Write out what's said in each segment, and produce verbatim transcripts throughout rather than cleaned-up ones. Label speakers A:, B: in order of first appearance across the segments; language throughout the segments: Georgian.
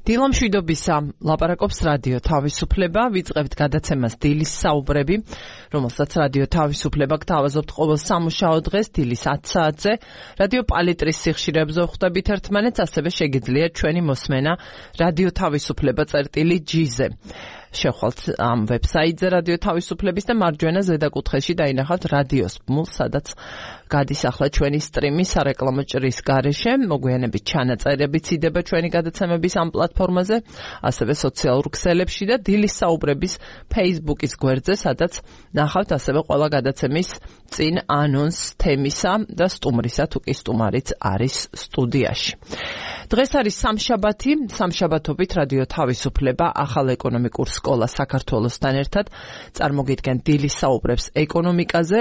A: დილამშვიდობისა ლაპარაკობს რადიო თავისუფლება, ვიწყებთ გადაცემას დილის საუბრები, რომელსაც რადიო თავისუფლება გთავაზობთ ყოველ სამუშაო დღეს დილის ათი საათზე. რადიო პალიტრის სიხშირეებზე ვხვდებით ერთმანეთს, ასევე შეგიძლიათ ჩვენი მოსმენა რადიო თავისუფლება წერტილი ჯი-ზე. შევხვალთ ამ ვებსაიტზე რადიო თავისუფლების და მარჯვენა ზედაკუთხეში დაინახავთ რადიოს ბმულს, სადაც გადის ახლა ჩვენი სტრიმი სარეკლამო ჭრის გარეშე. მოგვიანებით ჩანაწერებიც იდება ჩვენი გადაცემების ამ პლატფორმაზე, ასევე სოციალურ ქსელებში და დილის საუბრების Facebook-ის გვერდზე, სადაც ნახავთ ასევე ყველა გადაცემის წინ ანონს თემისა და სტუმრისა, თუ კი სტუმარიც არის სტუდიაში. დღეს არის სამშაბათი, სამშაბათობით რადიო თავისუფლება ახალ ეკონომიკურ სკოლა საქართველოსთან ერთად წარმოგიდგენ დილის საუბრებს ეკონომიკაზე,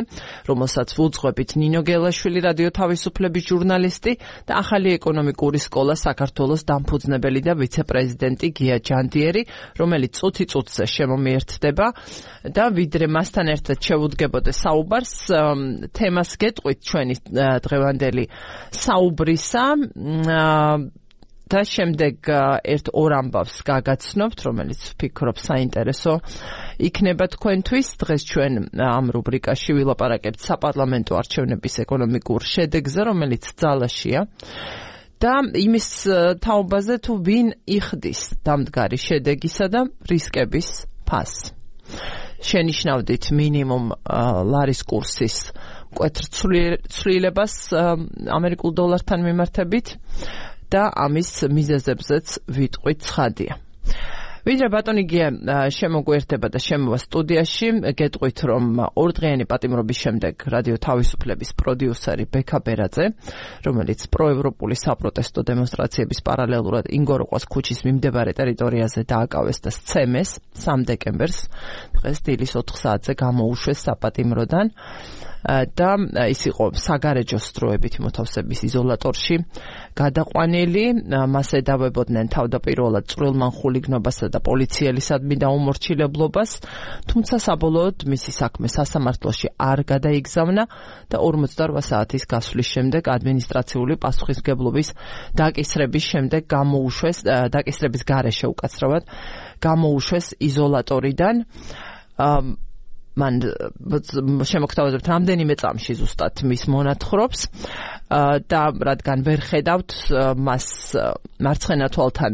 A: რომელსაც ვუძღვებით ნინო გელაშვილი, რადიო თავისუფლების ჟურნალისტი და ახალი ეკონომიკური სკოლა საქართველოს დამფუძნებელი და ვიცე-პრეზიდენტი გია ჯანდიერი, რომელიც წუთი წუთზე შემომიერთდება და ვიდრე მასთან ერთად შევუდგებოდე საუბარს, თემას გეტყვით ჩვენი დღევანდელი საუბრისა და შემდეგ ერთ ორ ამბავს გაგაცნობთ, რომელიც ვფიქრობ საინტერესო იქნება თქვენთვის. დღეს ჩვენ ამ რუბრიკაში ვილაპარაკებთ საპარლამენტო არჩევნების ეკონომიკურ შედეგზე, რომელიც ძალაშია და იმის თაობაზე, თუ ვინ იხდის დამდგარი შედეგისა და რისკების ფასს. შენიშნავდით მინიმუმ ლარის კურსის მკვეთრ ცვლილებას ამერიკულ დოლართან მიმართებით და ამის მიზეზებზეც ვიტყვით ცხადია. ვიდრე ბატონი გია შემოგვიერთება და შემოვა სტუდიაში, გეტყვით, რომ ორდღიანი პატიმრობის შემდეგ რადიო თავისუფლების პროდიუსერი ბექა ბერაძე, რომელიც პროევროპული საპროტესტო დემონსტრაციების პარალელურად ინგოროყვას ქუჩის მიმდებარე ტერიტორიაზე დააკავეს და სცემეს სამ დეკემბერს, დღეს დილის ოთხ საათზე გამოუშვეს საპატიმროდან და ის იყო საგარეჯო სტროებით მოთავსების იზოლატორში გადაყვანილი. მას ედავებოდნენ თავდაპირველად წვრილმან ხულიგნობასა და პოლიციელისადმი დაუმორჩილებლობას, თუმცა საბოლოოდ მისი საქმე სასამართლოში არ გადაიგზავნა და ორმოცდაორ საათის გასვლის შემდეგ ადმინისტრაციული პასუხისმგებლობის დაკისრების შემდეგ გამოუშვეს, დაკისრების გარეშე უკაცრავად გამოუშვეს იზოლატორიდან. მან შემოგთავაზებთ რამდენიმე წამში ზუსტად მის მონათხრობს და რადგან ვერ ხედავთ მას მარცხენა თვალთან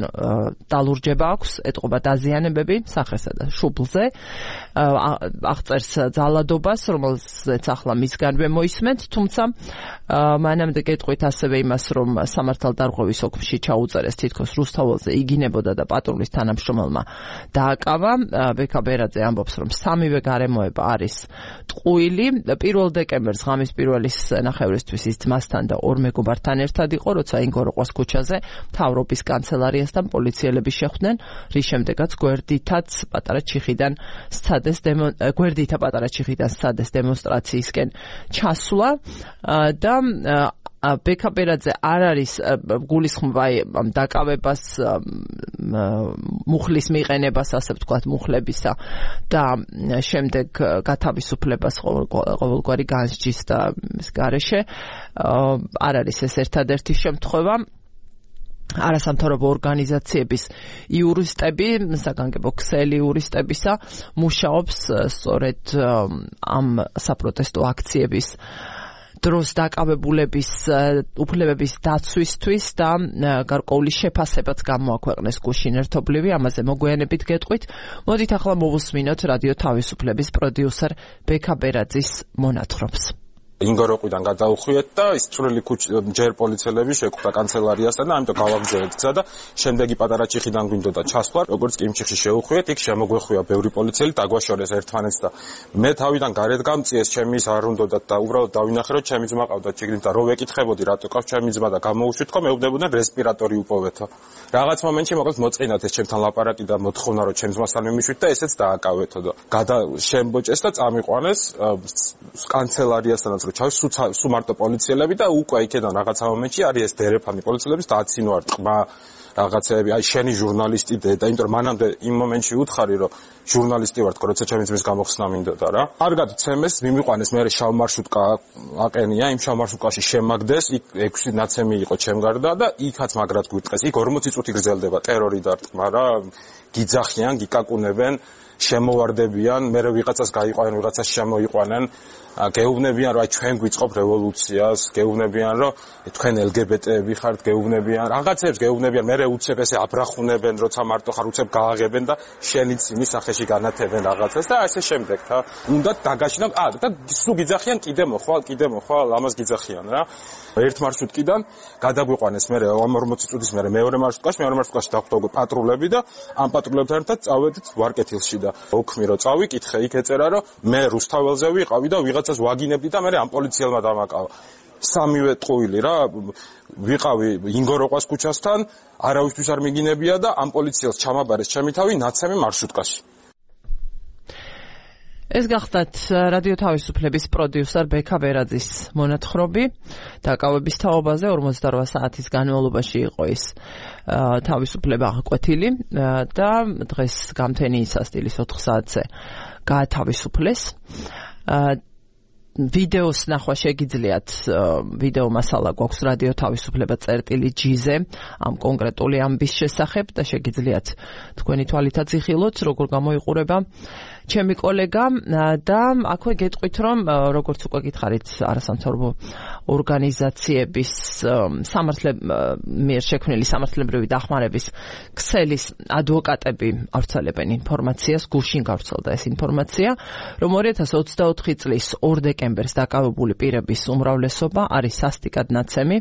A: დალურჯება აქვს, ეტყობა დაზიანებები სახესა და შუბლზე, აღწერს ძალადობას, რომელზეც ახლა მისგანვე მოისმენთ, თუმცა მანამდე გეტყვით ასევე იმას, რომ სამართალდარღვევის ოფისში ჩაუწერეს თითქოს რუსთაველზე იგინებოდა და პატრულის თანამშრომელმა დააკავა. ბექა ბერაძე ამბობს, რომ სამივე გარემოება არის ტყუილი. პირველ დეკემბერს ღამის პირველის ნახევრისთვის ის ძმასთან და ორ მეგობართან ერთად იყო, როცა ინგოროყვას ქუჩაზე მთავრობის კანცელარიასთან პოლიციელები შეხვდნენ, რის შემდეგაც გვერდითაც პატარა ჩიხიდან სცადეს გვერდითა პატარა ჩიხიდან სცადეს დემონსტრაციისკენ ჩასვლა და ბექა ბერაძე არ არის გულისხმობა ამ დაკავებას, მუხლის მიყენებას, ასე ვთქვათ, მუხლებისა და შემდეგ გათავისუფლებას ყოველგვარი განსჯის და მის გარეშე არ არის ეს ერთადერთი შემთხვევა. არასამთავრობო ორგანიზაციების იურისტები, საგანგებო ქსელი იურისტებისა მუშაობს სწორედ ამ საპროტესტო აქციების დროს დაკავებულების უფლებების დაცვისთვის და გარკვეული შეფასებაც გამოაქვეყნეს გუშინ ერთობლივი, ამაზე მოგვიანებით გეტყვით. მოდით ახლა მოვუსმინოთ რადიო თავისუფლების პროდიუსერ ბექა ბერაძის მონათხრობს.
B: ინგოროყვიდან გადაუხვიეთ და ის წვრილი ქუჩი ჯერ პოლიციელები შეკვდა კანცელარიასთან და ამიტომ გავაგზავნეთ გზა და შემდეგი პატარა ჩიხიდან გვინდოდა ჩასვლა, როგორც კიმჩიხში შევხვიეთ, იქ შემოგვეხვია ბევრი პოლიციელი, დაგვაშორეს ერთმანეთს და მე თავიდან გარეთ გამწიეს, ჩემი ის არ უნდოდათ და უბრალოდ დავინახე, რომ ჩემი ძმა ყავდა ჩიგნით და რო ვეკითხებოდი რატო ყავს ჩემი ძმა და გამოვუშვით, ხო მეუბნებოდნენ რესპირატორი უპოვეთო. რაღაც მომენტში მოკლედ მოწყინათ ეს ჩემთან ლაპარაკი და მოთხოვნა, რომ ჩემს ძმასთან მიმიშვით და ესეც დააკავეთო და გადა შემბოჭეს და წამიყვანეს კანცელარიასთანაც ჩავს სუ მარტო პოლიციელები და უკვე იქედან რაღაცა მომენტში არის ეს დერეფანი პოლიციელების და აცინო არ ტყმა რაღაცეები, აი შენი ჟურნალისტი და იმიტომ რომ მანამდე იმ მომენტში უთხარი რომ ჟურნალისტი ვარ თქო, როცა ჩემი ძმის გამოხსნა მინდოდა რა. კარგად ცემეს, მიმიყვანეს მე შავ მარშრუტკა აყენია, იმ შავ მარშრუტკაში შემაგდეს, იქ ექვსი ნაცემი იყო ჩემ გარდა და იქაც მაგრად გვიტყეს. იქ ორმოცი წუთი გრძელდება ტერორი დარტყმა რა, გიძახიან, გიკაკუნებენ, შემოვარდებიან, მე ვიღაცას გაიყვანენ, ვიღაცას შემოიყვანენ, გეუბნებიან რომ აი ჩვენ გვიწყობ რევოლუციას, გეუბნებიან რომ თქვენ ელ გი ბი ტეები ხართ, გეუბნებიან, რაღაცებს გეუბნებიან, მე უცებ ესე აბრახუნებენ, როცა მარტო ხარ უცებ გააღებენ და შენიც იმის სახეში განათებენ რაღაცას და ასე შემდეგ რა. უნდა დაგაშინო, ა და სულ გიძახიან, კიდე მოხვალ, კიდე მოხვალ, ამას გიძახიან რა. ერთ მარშრუტკიდან გადაგვიყვანეს მე ორმოცი წუთის მერე მეორე მარშრუტკაში, მეორე მარშრუტკაში დახვდა პატრულები და ამ პატრულებთან ერთად წავედით ვარკეთილში და ოქმი რო წავიკითხე, იქ ეწერა რომ მე რუსთაველზე ვიყავი და ვიღაცას ვაგინებდი და მე ამ პოლიციელმა დამაკავა. სამივე ტყუილი რა, ვიყავი ინგოროყვას ქუჩასთან, არავისთვის არ მიგინებია და ამ პოლიციელს ჩამაბარეს ჩემი თავი ნაცემი მარშრუტკაში.
A: ეს გახდათ რადიო თავისუფლების პროდიუსერ ბექა ბერაძის მონათხრობი დაკავების თაობაზე ორმოცდაორ საათის განმავლობაში იყო ის თავისუფლება აღკვეთილი და დღეს გამთენი სასტილის ოთხ საათზე გაათავისუფლეს. ვიდეოს ნახვა შეგიძლიათ, ვიდეო მასალა გვაქვს რადიო თავისუფლება წერტილი ჯი-ზე ამ კონკრეტული ამბის შესახებ და შეგიძლიათ თქვენი თვალითაც იხილოთ, როგორ გამოიყურება ჩემი კოლეგა და აქვე გეტყვით, რომ როგორც უკვე გითხარით, არასამთავრობო ორგანიზაციების მიერ შექმნილი სამართლებრივი დახმარების ქსელის ადვოკატები ავრცელებენ ინფორმაციას, გუშინ გავრცელდა ეს ინფორმაცია, რომ ორი ათას ოცდაოთხი წლის ორ დეკემბერს დაკავებული პირების უმრავლესობა არის სასტიკად ნაცემი.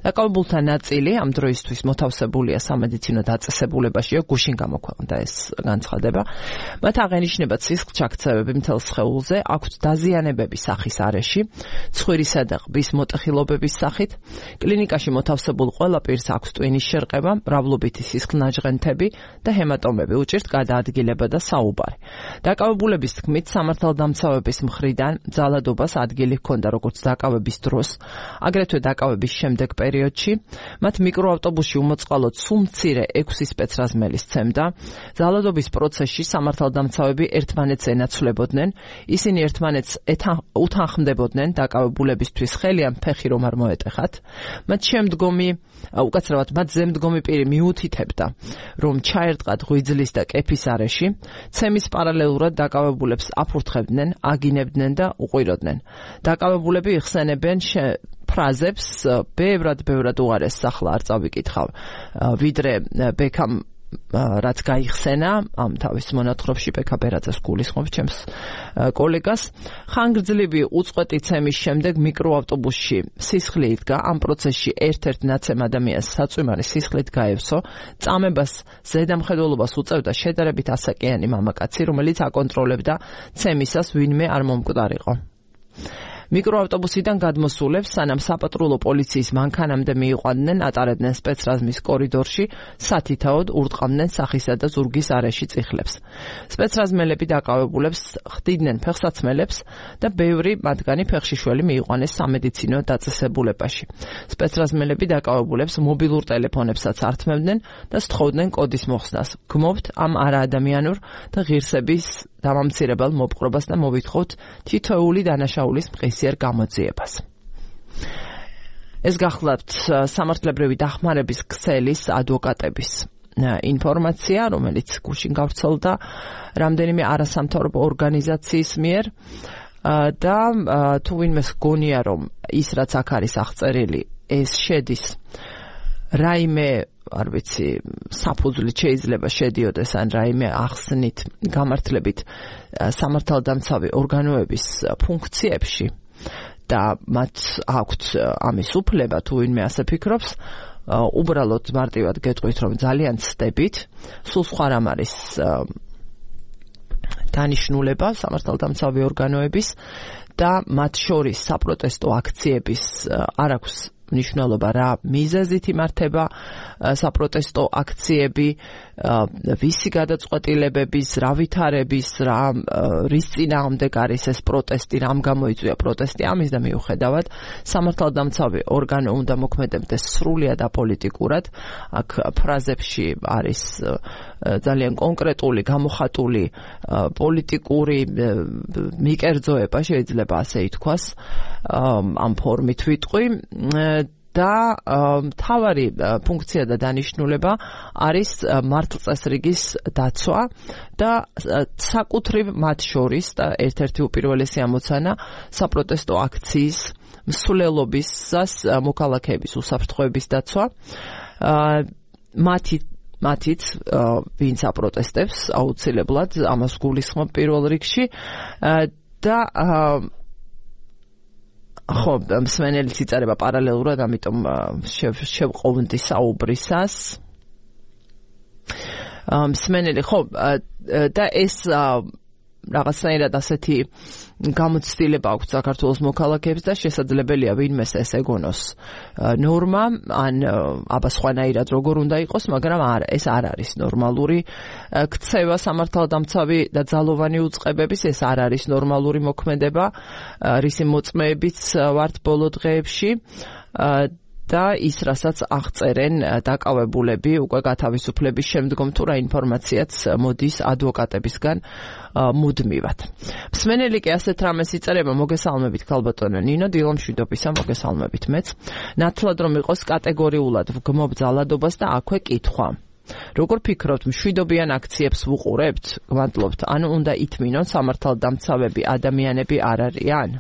A: დაკავებულთა ნაწილი ამ დროისთვის მოთავსებულია სამედიცინო დაწესებულებაშია, გუშინ გამოქვეყნდა ეს განცხადება. მათ აღენიშნება სისხლჩაქცევები მთელ სხეულზე, აქვთ დაზიანებები სახის არეში, ცხვირისა და ყბის მოტეხილობების სახით, კლინიკაში მოთავსებულ ყველა პირს აქვს ტვინის შერყება, მრავლობითი სისხლნაჟღენთები და ჰემატომები, უჭირთ გადაადგილება და საუბარი. დაკავებულების თქმით, სამართალდამცავების მხრიდან ძალადობას ადგილი ჰქონდა როგორც დაკავების დროს, აგრეთვე დაკავების შემდეგ პერიოდში, მათ მიკროავტობუსში უმოწყალოდ სულ მცირე ექვსი სპეცრაზმელი სცემდა, ძალადობის პროცესში სამართალდამცავები ერთმანეთს ენაცვლებოდნენ, ისინი ერთმანეთს უთანხმდებოდნენ დაკავებულებისთვის ხელი ან ფეხი რომ არ მოეტეხათ. მათ შემდგომი, უკაცრავად მათ ზემდგომი პირი მიუთითებდა, რომ ჩაერტყათ ღვიძლის და კეფის არეში, ცემის პარალელურად დაკავებულებს აფურთხებდნენ, აგინებდნენ და უყვიროდნენ. დაკავებულები იხსენებენ ფრაზებს, ბევრად ბევრად უარეს ახლა არ წავიკითხავ, ვიდრე ბექამ რაც გაიხსენა ამ თავის მონათხრობში ბექა ბერაძეს გულისხმობს ჩემს კოლეგას. ხანგრძლივი უწყვეტი ცემის შემდეგ მიკროავტობუსში სისხლი იდგა, ამ პროცესში ერთ-ერთ ნაცემ ადამიანს საწვიმარი სისხლით გაევსო, წამებას ზედამხედველობას უწევდა შედარებით ასაკიანი მამაკაცი, რომელიც აკონტროლებდა ცემისას ვინმე არ მომკვდარიყო. მიკროავტობუსიდან გადმოსულებს, სანამ საპატრულო პოლიციის მანქანამდე მიიყვანდნენ, ატარებდნენ სპეცრაზმის კორიდორში, სათითაოდ ურტყამდნენ სახისა და ზურგის არეში წიხლებს. სპეცრაზმელები დაკავებულებს ხდიდნენ ფეხსაცმელებს და ბევრი მათგანი ფეხშიშველი მიიყვანეს სამედიცინო დაწესებულებაში. სპეცრაზმელები დაკავებულებს მობილურ ტელეფონებსაც ართმევდნენ და სთხოვდნენ კოდის მოხსნას. გმობთ ამ არაადამიანურ და ღირსების დამამცირებელ მოპყრობას და მოვითხოვთ თითოეული დანაშაულის მყისიერ გამოძიებას. ეს გახლავთ სამართლებრივი დახმარების ქსელის ადვოკატების ინფორმაცია, რომელიც გუშინ გავრცელდა რამდენიმე არასამთავრობო ორგანიზაციის მიერ და თუ ვინმეს გონია, რომ ის რაც აქ არის აღწერილი, ეს შედის რაიმე არ ვიცი, საფუძვლით შეიძლება შედიოდეს ან რაიმე ახსნით, გამართლებით სამართალდამცავი ორგანოების ფუნქციებში და მათ აქვთ ამის უფლება, თუ ვინმე ასე ფიქრობს, უბრალოდ მარტივად გეტყვით, რომ ძალიან ცდებით, სულ სხვა რამ არის დანიშნულება სამართალდამცავი ორგანოების და მათ შორის საპროტესტო აქციების არ აქვს მნიშვნელობა რა მიზეზით იმართება საპროტესტო აქციები, ვისი გადაწყვეტილებების, რა ვითარების, რა რის წინააღმდეგ არის ეს პროტესტი, რამ გამოიწვია პროტესტი, ამის და მიუხედავად სამართალდამცავი ორგანო უნდა მოქმედებდეს სრულიად აპოლიტიკურად. აქ ფრაზებში არის ძალიან კონკრეტული, გამოხატული პოლიტიკური მიკერძოება, შეიძლება ასე ითქვას, ამ ფორმით ვიტყვი. და მთავარი ფუნქცია და დანიშნულება არის მართლწესრიგის დაცვა და საკუთრივ მათ შორის და ერთ-ერთი უპირველესი ამოცანა საპროტესტო აქციის მსვლელობისას მოქალაქეების უსაფრთხოების დაცვა. მათი მათიც ვინც აპროტესტებს აუცილებლად ამას გულისხმობ პირველ რიგში და ხო, მსმენელიც იწერება პარალელურად, ამიტომ შევყოვნდი საუბრისას. მსმენელი, ხო, და ეს რაღაცნაირად ასეთი გამოცდილება აქვს საქართველოს მოქალაქეებს და შესაძლებელია ვინმეს ეს ეგონოს ნორმა, ან აბა სხვანაირად როგორ უნდა იყოს, მაგრამ არა, ეს არ არის ნორმალური ქცევა სამართალდამცავი და ძალოვანი უწყებების, ეს არ არის ნორმალური მოქმედება, რისი მოწმეებიც ვართ ბოლო დღეებში. და ის, რასაც აღწერენ დაკავებულები უკვე გათავისუფლების შემდგომ, თუ რა ინფორმაციაც მოდის ადვოკატებისგან მუდმივად. მსმენელი კი ასეთ რამეს იწერება, მოგესალმებით ქალბატონო ნინო, დილომშვიდობისა, მოგესალმებით მეც. ნათლად რომ იყოს კატეგორიულად ვგმობ ძალადობას და აქვე კითხვა. როგორ ფიქრობთ, მშვიდობიან აქციებს ვუყურებთ? გვადლობთ, ანუ უნდა ითმინონ სამართალდამცავები ადამიანები არ არიან?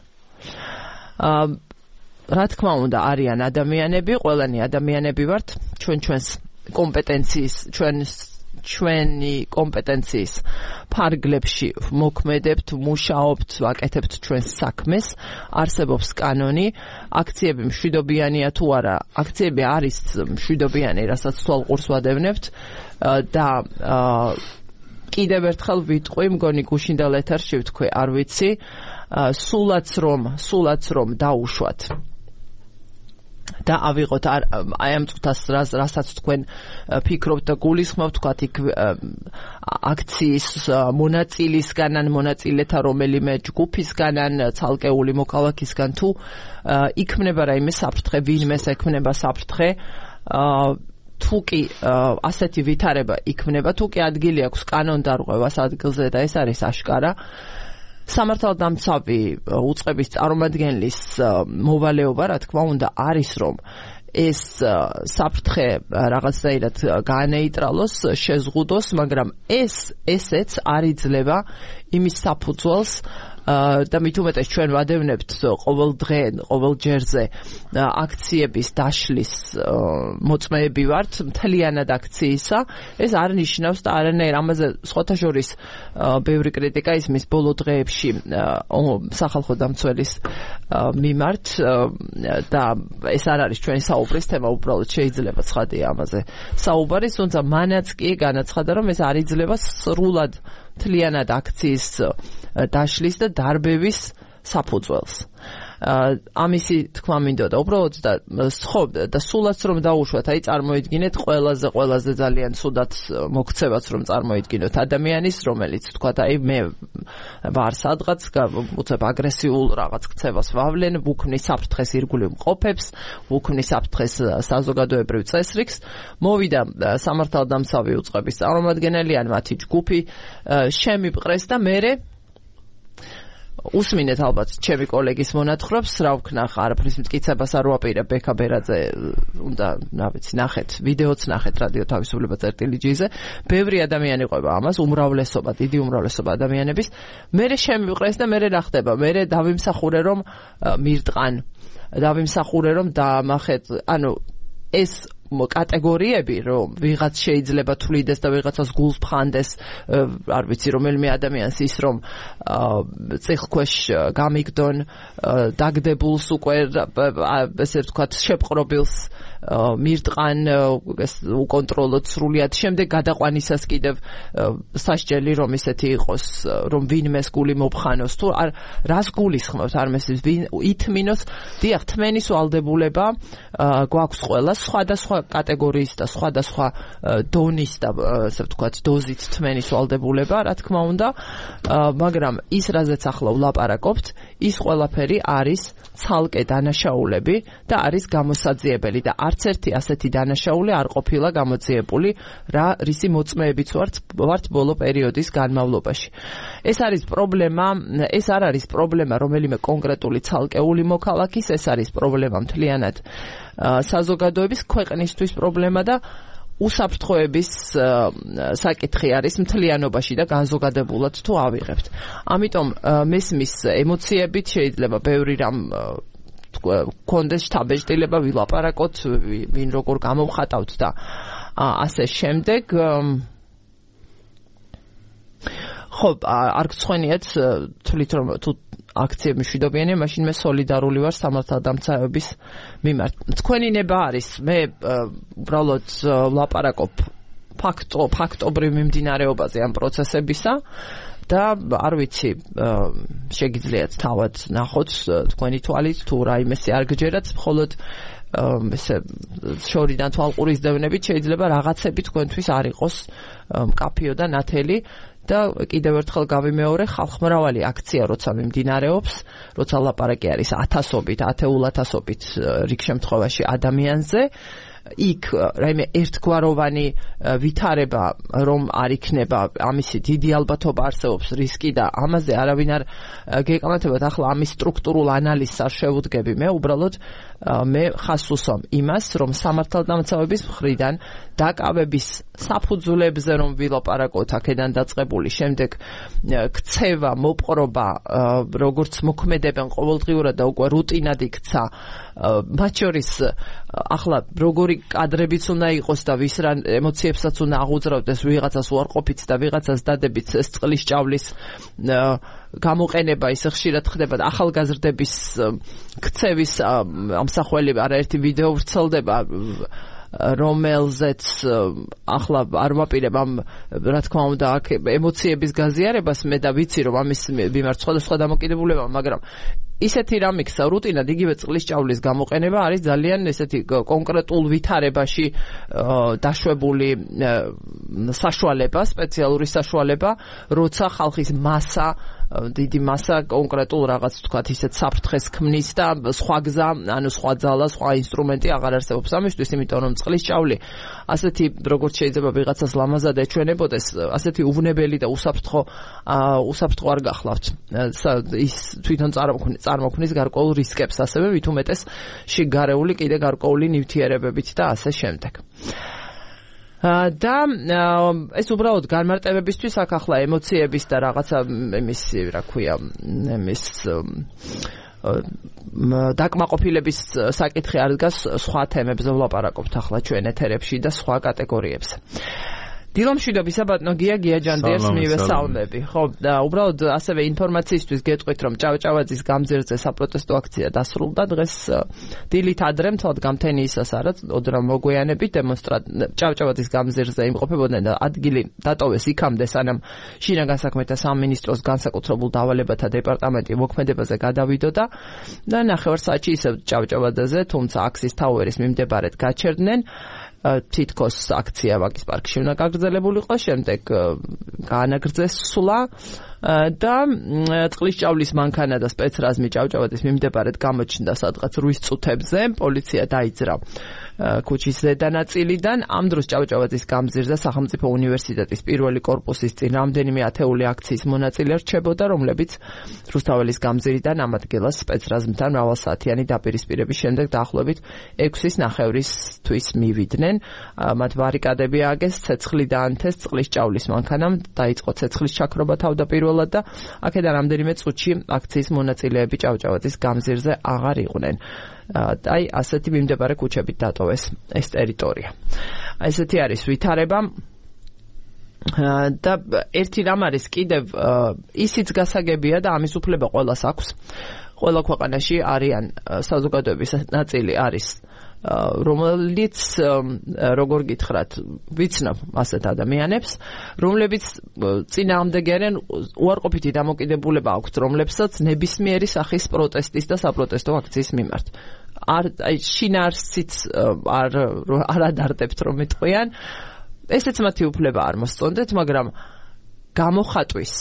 A: რა თქმა უნდა, არიან ადამიანები, ყველანი ადამიანები ვართ, ჩვენ ჩვენს კომპეტენციის, ჩვენს ჩვენი კომპეტენციის ფარგლებში მოქმედებთ, მუშაობთ, ვაკეთებთ ჩვენს საქმეს, არსებობს კანონი, აქციები მშვიდობიანია თუ არა, აქციები არის მშვიდობიანი, რასაც თვალყურს ვადევნებთ და კიდევ ერთხელ ვიტყვი, მგონი გუშინდელ ეთერში ვთქვი, არ ვიცი, სულაც რომ, სულაც რომ დაუშვათ და ავიღოთ აი ამ წუთას რასაც თქვენ ფიქრობთ და გულისხმობთ, თქვათ იქ აქციის მონაწილისგან ან მონაწილეთა რომელიმე ჯგუფისგან ან ცალკეული მოქალაქისგან თუ იქმნება რაიმე საფრთხე, ვინმეს ექმნება საფრთხე, თუ კი ასეთი ვითარება იქმნება, თუ კი ადგილი აქვს კანონდარღვევას ადგილზე და ეს არის აშკარა, სამართალდამცავი უწყების წარმომადგენლის მოვალეობა, რა თქმა უნდა, არის რომ ეს საფრთხე რაღაცნაირად განეიტრალოს, შეზღუდოს, მაგრამ ეს ესეც არ იძლევა იმის საფუძველს და მით უმეტეს ჩვენ ვადევნებთ ყოველ დღე, ყოველ ჯერზე აქციების დაშლის მოწმეები ვართ, მთლიანად აქციისა, ეს არ ნიშნავს და არანაირ ამაზე სხვათა შორის ბევრი კრიტიკა ისმის ბოლო დღეებში სახალხო დამცველის მიმართ და ეს არ არის ჩვენი საუბრის თემა, უბრალოდ შეიძლება ცხადია ამაზე საუბარი, თუმცა მანაც კი განაცხადა, რომ ეს არ იძლევა სრულად მთლიანად აქციის დაშლის და დარბევის საფუძველს. ამისი თქმა მინდოდა უბრალოდ და ხო და სულაც რომ დაუშვათ, აი წარმოიდგინეთ ყველაზე ყველაზე ძალიან სუდაც მოქცევაც რომ წარმოიდგინოთ ადამიანის, რომელიც თქვა აი მე ვარ სადღაც, უცებ აგრესიულ რაღაც ქცევას ვავლენ, ვუქმნის საფრთხეს ირგვლივ მყოფებს, ვუქმნის საფრთხეს საზოგადოებრივ წესრიგს, მოვიდა სამართალდამცავი უწყების წარმომადგენელი ან მათი ჯგუფი, შემიპყრეს და მერე უსმინეთ ალბათ ჩემი კოლეგის მონათხრობს, რა ვქნახ, არაფრის მტკიცებას არ ვაპირებ, ბექა ბერაძე უნდა, რა ვიცი, ნახეთ, ვიდეოც ნახეთ რადიო თავისუფლება წერტილი ჯი-ზე, ბევრი ადამიანი ყვება ამას, უმრავლესობა, დიდი უმრავლესობა ადამიანების, მერე შემიყრეს და მერე რა ხდება, მერე დავიმსახურე რომ მირტყან, დავიმსახურე რომ დაამახეთ, ანუ ეს კატეგორიები, რომ ვიღაც შეიძლება თვლიდეს და ვიღაცას გულს ფხანდეს, არ ვიცი, რომელიმე ადამიანს ის რომ წიხლქვეშ გამიგდონ, დაგდებულს უკვე, ესე ვთქვათ, შეპყრობილს მირტყან უკონტროლოდ სრულიად შემდგ გადაყვანისას კიდევ სასჯელი რომ ისეთი იყოს რომ ვინმეს გული მოფხანოს თუ არ რას გულისხმობთ არ მესმის ვინ ითმინოს დიახ თმენის ვალდებულება გვაქვს ყველა სხვადასხვა კატეგორიის და სხვადასხვა დონის და ასე ვთქვათ დოზით თმენის ვალდებულება რა თქმა უნდა მაგრამ ის რაზეც ახლა ვლაპარაკობთ ის ყველაფერი არის ცალკე დანაშაულები და არის გამოსაძიებელი და არც ერთი ასეთი დანაშაული არ ყოფილა გამოძიებული რა რისი მოწმეებიც ვართ ვართ ბოლო პერიოდის განმავლობაში ეს არის პრობლემა ეს არ არის პრობლემა რომელიმე კონკრეტული ცალკეული მოქალაქის ეს არის პრობლემა მთლიანად საზოგადოების ქვეყნისთვის პრობლემა და უსაფრთხოების საკითხი არის მთლიანობაში და განზოგადებულად თუ ავიღებთ. ამიტომ მესმის ემოციებით შეიძლება ბევრი რამ კონდეს შთაბეჭდილება ვილაპარაკოთ, ვინ როგორ გამოვხატავთ და ასე შემდეგ. ხო, არ გცხვენიათ თვლით რომ თუ აქციები მშვიდობიანია, მაშინ მე სოლიდარული ვარ სამართალდამცავების მიმართ. თქვენი ნება არის, მე უბრალოდ ვლაპარაკობ ფაქტო, ფაქტობრივ მიმდინარეობაზე ამ პროცესებისა და არ ვიცი, შეგიძლიათ თავად ნახოთ თქვენი თვალით თუ რაიმესი არ გჯერათ, მხოლოდ ესე შორიდან თვალყურისდევნებით შეიძლება რაღაცები თქვენთვის არ იყოს მკაფიო და ნათელი და კიდევ ერთხელ გავიმეორე ხალხმრავალი აქცია როცა მიმდინარეობს, როცა ლაპარაკი არის ათასობით, ათეულათასობით რიგ შემთხვევაში ადამიანზე, იქ რაიმე ერთგვაროვანი ვითარება რომ არ იქნება ამისი დიდი ალბათობა არსებობს რისკი და ამაზე არავინ არ გეკამათებათ ახლა ამის სტრუქტურულ ანალიზს არ შევუდგები მე უბრალოდ მე ხას უსვამ იმას რომ სამართალდამცავების მხრიდან დაკავების საფუძვლებზე რომ ვილაპარაკოთ აქედან დაწყებული შემდეგ ქცევა მოპყრობა როგორც მოქმედებენ ყოველდღიურად და უკვე რუტინად იქცა მათ შორის ახლა როგორი კადრებიც უნდა იყოს და ვის რა ემოციებსაც უნდა აღუძრავდეს ვიღაცას უარყოფით და ვიღაცას დადებით ეს წყლის ჭავლის გამოყენება ისე ხშირად ხდება და ახალგაზრდების ქცევის ამსახველი არაერთი ვიდეო ვრცელდება რომელზეც ახლა არ ვაპირებ ამ რა თქმა უნდა აქ ემოციების გაზიარებას მე და ვიცი რომ ამის მიმართ სხვადასხვა დამოკიდებულება მაგრამ ისეთი რამ იქცა რუტინად იგივე წყლის ჭავლის გამოყენება არის ძალიან ესეთი კონკრეტულ ვითარებაში დაშვებული საშუალება, სპეციალური საშუალება, როცა ხალხის მასა დიდი მასა კონკრეტულ რაღაც თქვათ ისეთ საფრთხეს ქმნის და სხვა გზა, ანუ სხვა ძალა, სხვა ინსტრუმენტი აღარ არსებობს ამისთვის, იმიტომ რომ წყლის ჭავლი ასეთი როგორც შეიძლება ვიღაცას ლამაზად ეჩვენებოდეს, ასეთი უვნებელი და უსაფრთხო უსაფრთხო არ გახლავთ. ის თვითონ წარმოქმნის გარკვეულ რისკებს, ასევე ვით უმეტეს შიგარეული კიდე გარკვეული ნივთიერებებით და ასე შემდეგ. და ეს უბრალოდ განმარტებებისთვის აქ ახლა ემოციების და რაღაცა იმის რა ქვია იმის დაკმაყოფილების საკითხი არ დგას სხვა თემებზე ვლაპარაკობთ ახლა ჩვენ ეთერებში და სხვა კატეგორიებზე. დილომშვიდობისა ბატონო გია გია ჯანდიერს მივესალმები. ხო, და უბრალოდ ასევე ინფორმაციისთვის გეტყვით, რომ ჭავჭავაძის გამზირზე საპროტესტო აქცია დასრულდა დღეს დილით ადრე მთლად გამთენიისას არა, ოდრა მოგვიანებით დემონსტრანტ ჭავჭავაძის გამზირზე იმყოფებოდნენ და ადგილი დატოვეს იქამდე, სანამ შინაგან საქმეთა სამინისტროს განსაკუთრებულ დავალებათა დეპარტამენტი მოქმედებაზე გადავიდოდა და ნახევარ საათში ისევ ჭავჭავაძეზე, თუმცა აქსის თაუერის მიმდებარედ გაჩერდნენ. თითქოს აქცია ვაკის პარკში უნდა გაგრძელებულიყო, შემდეგ გაანაგრძეს სვლა და წყლის ჭავლის მანქანა და სპეცრაზმი ჭავჭავაძის მიმდებარედ გამოჩნდა სადღაც რვის წუთებზე, პოლიცია დაიძრა ქუჩის ზედა ნაწილიდან. ამ დროს ჭავჭავაძის გამზირზე სახელმწიფო უნივერსიტეტის პირველი კორპუსის წინ რამდენიმე ათეული აქციის მონაწილე რჩებოდა, რომლებიც რუსთაველის გამზირიდან ამ ადგილას სპეცრაზმთან მრავალსაათიანი დაპირისპირების შემდეგ დაახლოებით ექვსის ნახევრისთვის მივიდნენ. მათ ბარიკადები ააგეს, ცეცხლი დაანთეს წყლის ჭავლის მანქანამ, დაიწყო ცეცხლის ჩაქრობა თავდაპირველად და აქედან რამდენიმე წუთში აქციის მონაწილეები ჭავჭავაძის გამზირზე აღარ იყვნენ. აი ასეთი მიმდებარე ქუჩებით დატოვეს ეს ტერიტორია. ესეთი არის ვითარება და ერთი რამ არის კიდევ ისიც გასაგებია და ამის უფლება ყველას აქვს. ყველა ქვეყანაში არიან საზოგადოების ნაწილი არის რომელიც როგორ გითხრათ, ვიცნობ ასეთ ადამიანებს, რომლებიც წინააღმდეგი არიან, უარყოფითი დამოკიდებულება აქვთ, რომლებსაც ნებისმიერი სახის პროტესტის და საპროტესტო აქციის მიმართ. არ აი შინაარსიც არ არ ადარდებთ რომ მეტყვიან. ესეც მათი უფლება არ მოსწონდეთ, მაგრამ გამოხატვის,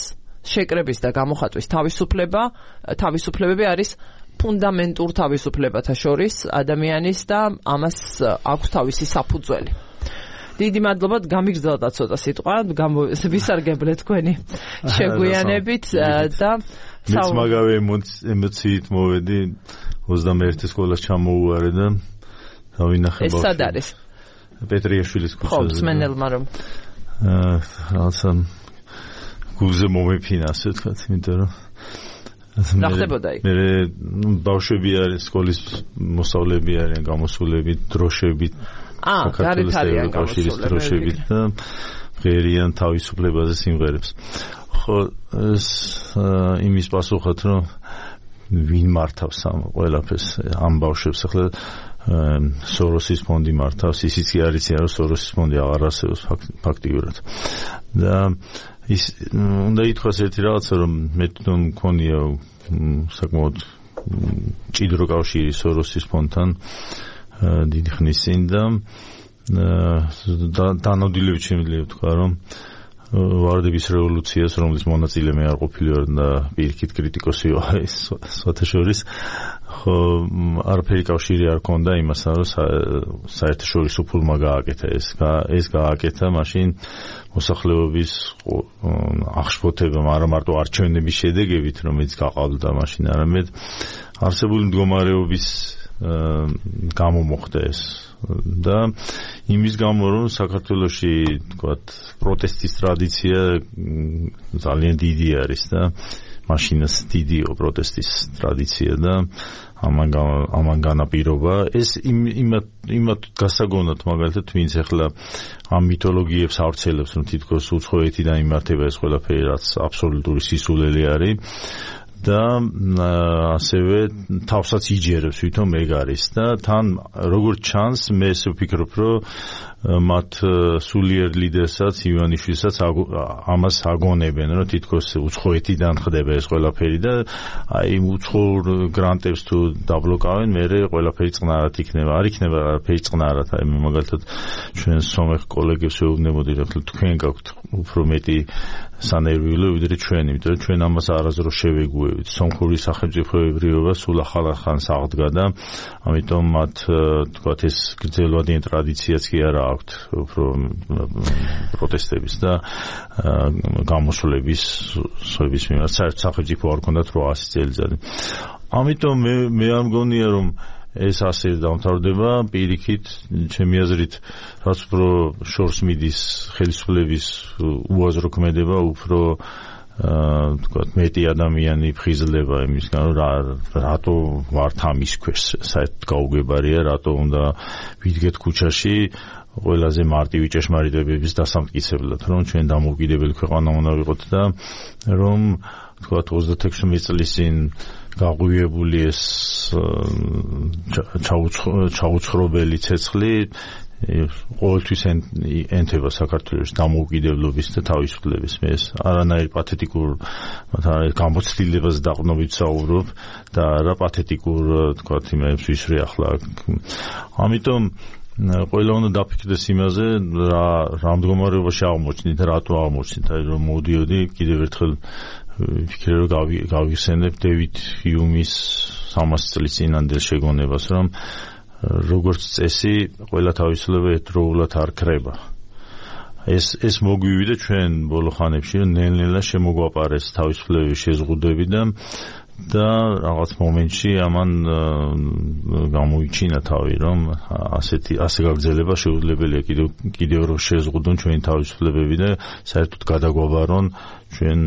A: შეკრების და გამოხატვის თავისუფლება, თავისუფლებები არის ფუნდამენტურ თავისუფლებათა შორის ადამიანის და ამას აქვს თავისი საფუძველი. დიდი მადლობა, გამიგრძელდა ცოტა სიტყვა, ვისარგებლეთ თქვენი შეგვიანებით და
C: მეც მაგავე ემოციით მოვედი, ოცდამეერთე სკოლას ჩამოუვარე და დავინახე
A: ბავშვი. ეს სად არის?
C: პეტრიაშვილის ქუჩაზე.
A: ხო, მსმენელმა რომ
C: აა რაღაცა გულზე მომეფინა, ასე ვთქვათ, იმიტომ რომ
A: რა ხდებოდა იქ?
C: მე ბავშვები არის, სკოლის მოსწავლეები არიან, გამოსულები, დროშები.
A: აა, გარეთ არიან
C: გამოსულები და ღერიან თავისუფლებაზე სიმღერებს. ხო, ეს იმის პასუხად, რომ ვინ მართავს ამ ყველაფერს, ამ ბავშვებს, ახლა სოროსის ფონდი მართავს, ისიც კი არ იციან, რომ სოროსის ფონდი აღარ არსებობს ფაქტიურად. და ის უნდა ითქვას ერთი რაღაცა, რომ მე თვითონ მქონია საკმაოდ მჭიდრო კავშირი სოროსის ფონდთან დიდი ხნის წინ და დანოდილებით შემიძლია ვთქვა, რომ ვარდების რევოლუციას, რომლის მონაწილე მე არ ყოფილი ვარ და პირიქით კრიტიკოსი ვარ ის სხვათა შორის, ხო არაფერი კავშირი არ ქონდა იმასთან, რომ საერთაშორისო ფულმა გააკეთა ეს ეს გააკეთა მაშინ მოსახლეობის აღშფოთებამ, არა მარტო არჩევნების შედეგებით, რომელიც გაყავდა მაშინ, არამედ არსებული მდგომარეობის გამო მოხდა ეს და იმის გამო, რომ საქართველოში თქვათ პროტესტის ტრადიცია ძალიან დიდი არის და მაშინაც დიდიო პროტესტის ტრადიცია და ამან ამან განაპირობა ეს იმათ იმათ გასაგონად მაგალითად ვინც ახლა ამ მითოლოგიებს ავრცელებს, რომ თითქოს უცხოეთიდან იმართება ეს ყველაფერი, რაც აბსოლუტური სისულელი არის და ასევე თავსაც იჯერებს ვითომ ეგ არის და თან როგორც ჩანს მე ესე ვფიქრობ, რომ მათ სულიერ ლიდერსაც ივანიშვილსაც ამას აგონებენ, რომ თითქოს უცხოეთიდან ხდება ეს ყველაფერი და აი უცხოურ გრანტებს თუ დაბლოკავენ, მერე ყველაფერი წყნარად იქნება. არ იქნება ყველაფერი წყნარად. აი მე მაგალითად ჩვენ სომეხ კოლეგებს ვეუბნებოდი, რომ თქვენ გაქვთ უფრო მეტი სანერვიულო ვიდრე ჩვენ, იმიტომ რომ ჩვენ ამას არასდროს შევეგუებით. სომხური სახელმწიფოებრიობა სულ ახალ ხანს აღდგა და ამიტომ მათ თქვათ ეს გრძელვადიანი ტრადიციაც კი არა აქვთ უფრო პროტესტების და გამოსვლების სოების მიმართ. საერთოდ სახელმწიფო არ ქონდათ რვაასი წელიწადი. ამიტომ მე მე არ მგონია, რომ ეს ასე დამთავრდება, პირიქით ჩემი აზრით, რაც უფრო შორს მიდის ხელისუფლების უაზრო ქმედება, უფრო აა თქვათ მეტი ადამიანი ფხიზლდება იმისგან, რომ რატო ვართ ამის ქვეშ, საერთოდ გაუგებარია, რატო უნდა ვიდგეთ ქუჩაში ყველაზე მარტივი ჭეშმარიტებების დასამტკიცებლად, რომ ჩვენ დამოუკიდებელი ქვეყანა უნდა ვიყოთ და რომ თქვათ ოცდათექვსმეტ წლის წინ გაღვივებული ეს ჩაუცხრობელი ცეცხლი ყოველთვის ენთება საქართველოს დამოუკიდებლობის და თავისუფლების. მე ეს არანაირ პათეტიკურ გამოცდილებას დაყრდნობით საუბრობ და არა პათეტიკურ თქვათ იმებს ვისვრე ახლა. ამიტომ ყველა უნდა დაფიქრდეს იმაზე, რა რა მდგომარეობაში აღმოჩნდით, რატო აღმოჩნდით, აი რომ მოდიოდი კიდევ ერთხელ ვფიქრე, რომ გავიხსენებ დევიდ ჰიუმის სამასი წლის წინანდელ შეგონებას, რომ როგორც წესი, ყველა თავისუფლება ერთდროულად არ ქრება. ეს ეს მოგვივიდა ჩვენ ბოლო ხანებში, რომ ნელ-ნელა შემოგვაპარეს თავისუფლების შეზღუდვები და და რაღაც მომენტში ამან გამოიჩინა თავი, რომ ასეთი ასე გაგრძელება შეუძლებელია კიდევ კიდევ რომ შეზღუდონ ჩვენი თავისუფლებები და საერთოდ გადაგვაბარონ ჩვენ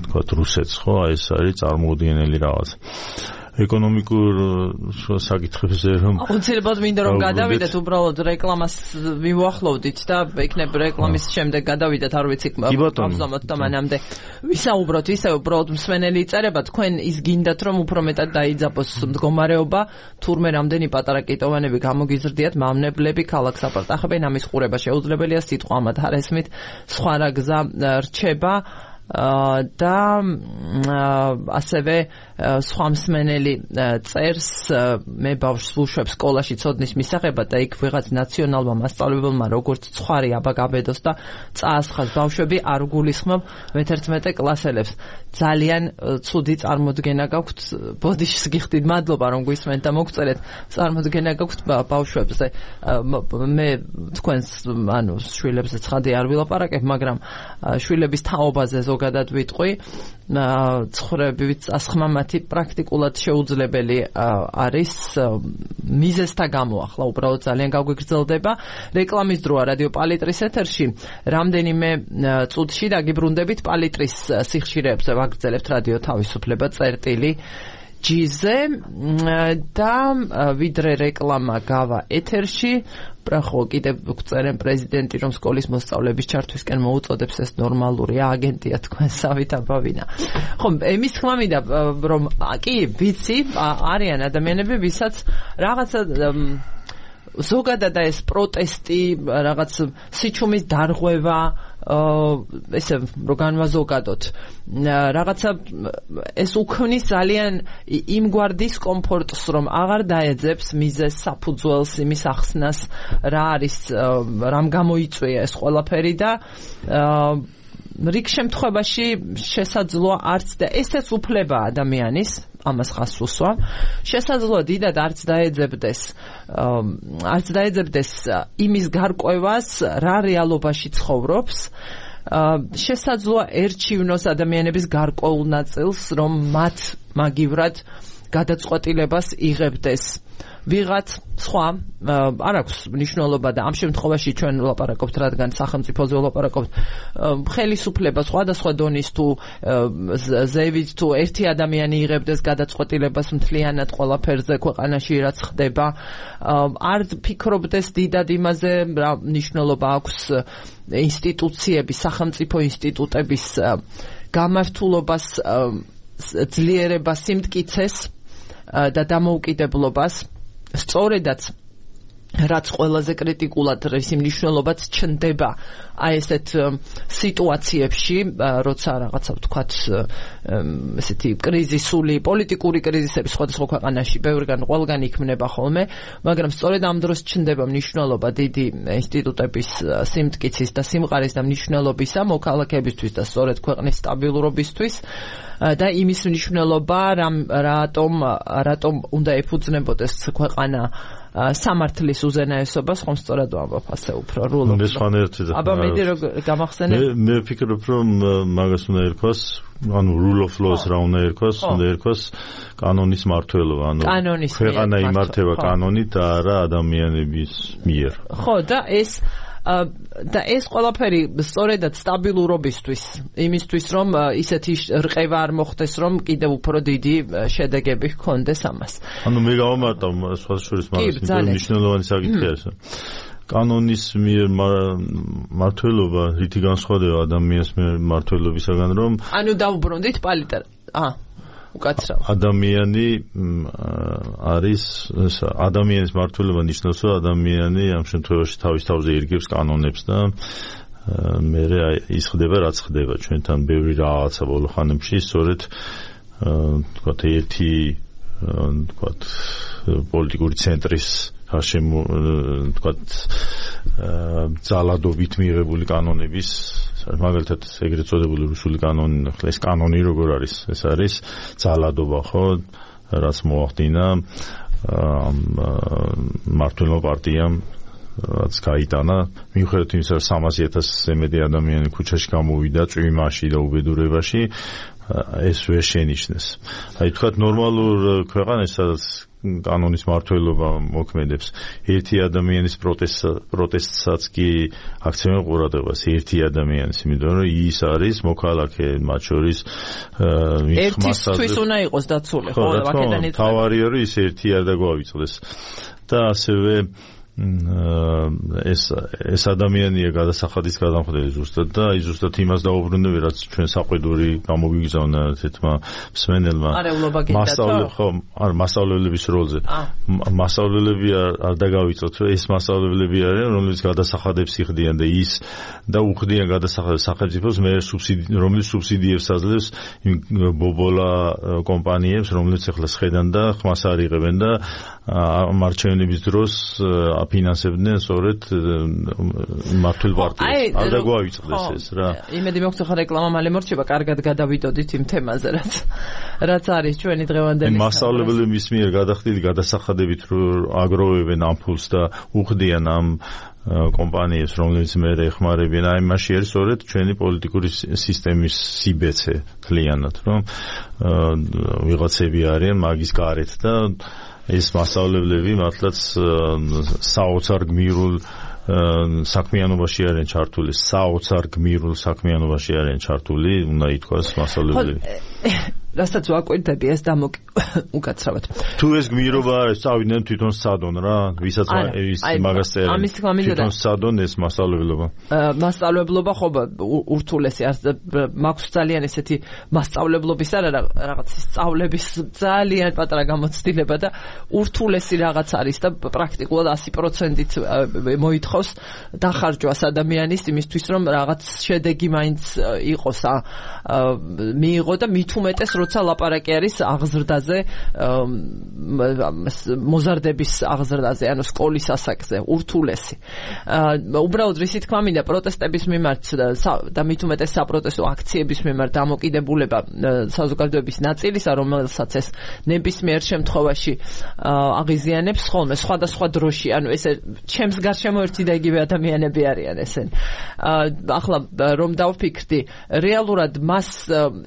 C: თქვათ რუსეთს, ხო? ეს არის წარმოუდგენელი რაღაც. ეკონომიკურ საკითხებზე რომ
A: აუცილებლად მინდა რომ გადავიდეთ უბრალოდ რეკლამას მივუახლოვდით და იქნებ რეკლამის შემდეგ გადავიდეთ არ ვიცი გავზომოთ და მანამდე ვისაუბროთ ისე უბრალოდ მსმენელი იწერება თქვენ ის გინდათ რომ უფრო მეტად დაიძაბოს მდგომარეობა თურმე რამდენი პატარა კიტოვანები გამოგიზრდიათ მავნებლები ქალაქს აპარტახებენ ამის ყურება შეუძლებელია სიტყვა ამათ არ ესმით სხვა რა გზა რჩება და ასევე სხვა მსმენელი წერს მე ბავშვს ვუშვებ სკოლაში ცოდნის მისაღებად და იქ ვიღაც ნაციონალმა მასწავლებელმა როგორც ცხარი აბაგაბედოს და წაასხას ბავშვები არ გულისხმობ მეთერთმეტე კლასელებს ძალიან ცუდი წარმოდგენა გაქვთ ბოდიშს გიხდით მადლობა რომ გვისმენთ და მოგწერეთ წარმოდგენა გაქვთ ბავშვებზე მე თქვენს ანუ შვილებზე ცხადი არ ვილაპარაკებ მაგრამ შვილების თაობაზე ზოგადად ვიტყვი ცხრებივით წასხმა მათი პრაქტიკულად შეუძლებელი არის მიზესთა გამო ახლა უბრალოდ ძალიან გაგვიგრძელდება რეკლამის დროა რადიო პალიტრის ეთერში რამდენიმე წუთში დაგიბრუნდებით პალიტრის სიხშირეებზე ვაგრძელებთ რადიო თავისუფლება წერტილი ჯიზე და ვიდრე რეკლამა გავა ეთერში პრახო კიდევ გწერენ პრეზიდენტი რომ სკოლის მოსწავლეების ჩართვისკენ მოუწოდებს ეს ნორმალურია აგენტია თქვენ სავით აბავინა ხო ემის თქმა მინდა რომ კი ვიცი არიან ადამიანები ვისაც რაღაცა ზოგადად ეს პროტესტი რაღაც სიჩუმის დარღვევა ესე რო განვაზოგადოთ რაღაცა ეს უქმნის ძალიან იმგვარ დისკომფორტს რომ აღარ დაეძებს მიზეს საფუძველს იმის ახსნას რა არის რამ გამოიწვია ეს ყველაფერი და რიგ შემთხვევაში შესაძლოა არც და ესეც უფლება ადამიანის ამას ხას უსვა შესაძლოა დიდად არც დაეძებდეს არც დაეძებდეს იმის გარკვევას რა რეალობაში ცხოვრობს შესაძლოა ერჩივნოს ადამიანების გარკვეულ ნაწილს რომ მათ მაგივრად გადაწყვეტილებას იღებდეს ვიღაც სხვა არ აქვს მნიშვნელობა და ამ შემთხვევაში ჩვენ ვლაპარაკობთ რადგან სახელმწიფოზე ვლაპარაკობთ ხელისუფლება სხვადასხვა დონის თუ ზევით თუ ერთი ადამიანი იღებდეს გადაწყვეტილებას მთლიანად ყველაფერზე ქვეყანაში რაც ხდება არ ფიქრობდეს დიდად იმაზე რა მნიშვნელობა აქვს ინსტიტუციების სახელმწიფო ინსტიტუტების გამართულობას ძლიერებას სიმტკიცეს და დამოუკიდებლობას სწორედაც რაც ყველაზე კრიტიკულად ის მნიშვნელობაც ჩნდება აი ესეთ სიტუაციებში როცა რაღაცა ვთქვათ ესეთი კრიზისული პოლიტიკური კრიზისები სხვადასხვა ქვეყანაში ბევრგან ყველგან იქმნება ხოლმე მაგრამ სწორედ ამ დროს ჩნდება მნიშვნელობა დიდი ინსტიტუტების სიმტკიცის და სიმყარის და მნიშვნელობისა მოქალაქეებისთვის და სწორედ ქვეყნის სტაბილურობისთვის და იმის მნიშვნელობა რატომ რატომ უნდა ეფუძნებოდეს ქვეყანა სამართლის უზენაესობას ხომ სწორად ვამბობ ასე უფრო რულობ. აბა მედი რომ გამახსენებ.
C: მე ვფიქრობ რომ მაგას უნდა ერქვას, ანუ rule of law-ს რა უნდა ერქვას, უნდა ერქვას კანონის მმართველობა, ანუ ქვეყანა იმართება კანონით და არა ადამიანების მიერ.
A: ხო და ეს და ეს ყველაფერი სწორედად სტაბილურობისთვის იმისთვის რომ ისეთი რყევა არ მოხდეს რომ კიდევ უფრო დიდი შედეგები ჰქონდეს ამას.
C: ანუ მე გავამარტავ სხვა შორის მაგას მნიშვნელოვანი საკითხი არის. კანონის მიერ მმართველობა რითი განსხვავდება ადამიანის მიერ მმართველობისაგან რომ
A: ანუ დავუბრუნდით პალიტარ აა უკაცრავ
C: ადამიანი არის ადამიანის მმართველობა ნიშნავს რომ ადამიანი ამ შემთხვევაში თავის თავზე ირგებს კანონებს და მე ის ხდება რაც ხდება ჩვენთან ბევრი რაღაცა ბოლო ხანებში სწორედ თქვათ ერთი თქვათ პოლიტიკური ცენტრის გარშემო თქვათ ძალადობით მიღებული კანონების მაგალითად ეგრეთ წოდებული რუსული კანონი ეს კანონი როგორ არის ეს არის ძალადობა ხო რაც მოახდინა მმართველ პარტიამ რაც გაიტანა მიუხედავად იმისა რომ სამასი ათასზე მეტი ადამიანი ქუჩაში გამოვიდა წვიმაში და უბედურებაში ეს ვერ შენიშნეს. აი თქვათ ნორმალურ ქვეყანაში სადაც კანონის მართლობა მოქმედებს. ერთი ადამიანის პროტესტსაც კი აქცევენ ყურადღებას, ერთი ადამიანის, იმიტომ რომ ის არის მოქალაქე, მათ შორის
A: ერთისთვის უნდა იყოს დაცული, ხო, აქედან იწვევს.
C: თავარი არის ის ერთი არ დაგვავიწყდეს. და ასევე ეს ეს ადამიანია გადასახადის გადამხდელი ზუსტად და აი ზუსტად იმას დაუბრუნდები, რაც ჩვენ საყვედური გამოგვიგზავნა თეთმა მსმენელმა. მასწავლებლები ხო, არ მასწავლებლების როლზე. მასწავლებლები არ დაგავიწყოთ, რომ ეს მასწავლებლები არიან, რომლებიც გადასახადებს იხდიან და ის და უხდიან გადასახადებს სახელმწიფოს, მე რომელიც სუბსიდიებს აძლევს იმ ბობოლა კომპანიებს, რომლებიც ახლა სხედან და ხმას არ იღებენ და მარჩევნების დროს აფინანსებდნენ სწორედ მართლ პარტიას. არ დაგვავიწყდეს ეს რა.
A: იმედი მაქვს ხა რეკლამა მალე მორჩება, კარგად გადავიდოდით იმ თემაზე, რაც რაც არის ჩვენი დღევანდელი.
C: მასწავლებლების მიერ გადახდილი გადასახადებით აგროვებენ ამ ფულს და უხდიან ამ კომპანიებს, რომლებიც მე ეხმარებიან, აი მასში არის სწორედ ჩვენი პოლიტიკური სისტემის სიბეცე თლიანად, რომ ვიღაცები არიან მაგის გარეთ და ეს მასწავლებლები მართლაც საოცარ გმირულ საქმიანობაში არიან ჩართული, საოცარ გმირულ საქმიანობაში არიან ჩართული, უნდა ითქვას მასწავლებლები.
A: რასაც ვაკვირდები ეს დამოკი უკაცრავად.
C: თუ ეს გმირობა არის, წავიდნენ თვითონ სადონ რა, ვისაც ის მაგას წერენ. თვითონ სადონ ეს მასწავლებლობა.
A: მასწავლებლობა ხო ურთულესი არის, მაქვს ძალიან ესეთი მასწავლებლობის არა რაღაც სწავლების ძალიან პატარა გამოცდილება და ურთულესი რაღაც არის და პრაქტიკულად ასი პროცენტით მოითხოვს დახარჯვას ადამიანის იმისთვის, რომ რაღაც შედეგი მაინც იყოს, მიიღო და მით უმეტეს როცა ლაპარაკი არის აღზრდაზე, მოზარდების აღზრდაზე, ანუ სკოლის ასაკზე, ურთულესი. უბრალოდ რისი თქმა მინდა, პროტესტების მიმართ და მით უმეტეს საპროტესტო აქციების მიმართ დამოკიდებულება საზოგადოების ნაწილისა, რომელსაც ეს ნებისმიერ შემთხვევაში აღიზიანებს ხოლმე სხვადასხვა დროში, ანუ ესე ჩემს გარშემო ერთი და იგივე ადამიანები არიან ესენი. ახლა რომ დავფიქრდი, რეალურად მას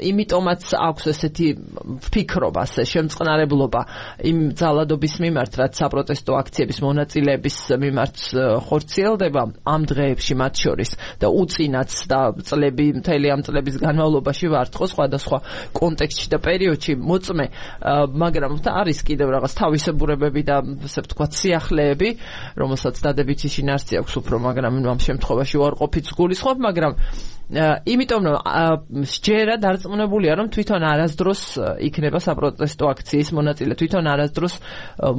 A: იმიტომაც აქვს ესეთი ფიქრობა, შემწყნარებლობა იმ ძალადობის მიმართ, რაც საპროტესტო აქციების მონაწილეების მიმართ ხორციელდება ამ დღეებში მათ შორის და უწინაც და წლები, მთელი ამ წლების განმავლობაში ვართ ხო სხვადასხვა კონტექსტში და პერიოდში მოწმე, მაგრამ არის კიდევ რაღაც თავისებურებები და ასე ვთქვათ სიახლეები, რომელსაც დადებითი შინაარსი აქვს უფრო, მაგრამ ამ შემთხვევაში უარყოფით გულისხმობ, მაგრამ იმიტომ რომ სჯერა დარწმუნებულია რომ თვითონ არასდროს იქნება საპროტესტო აქციის მონაწილე, თვითონ არასდროს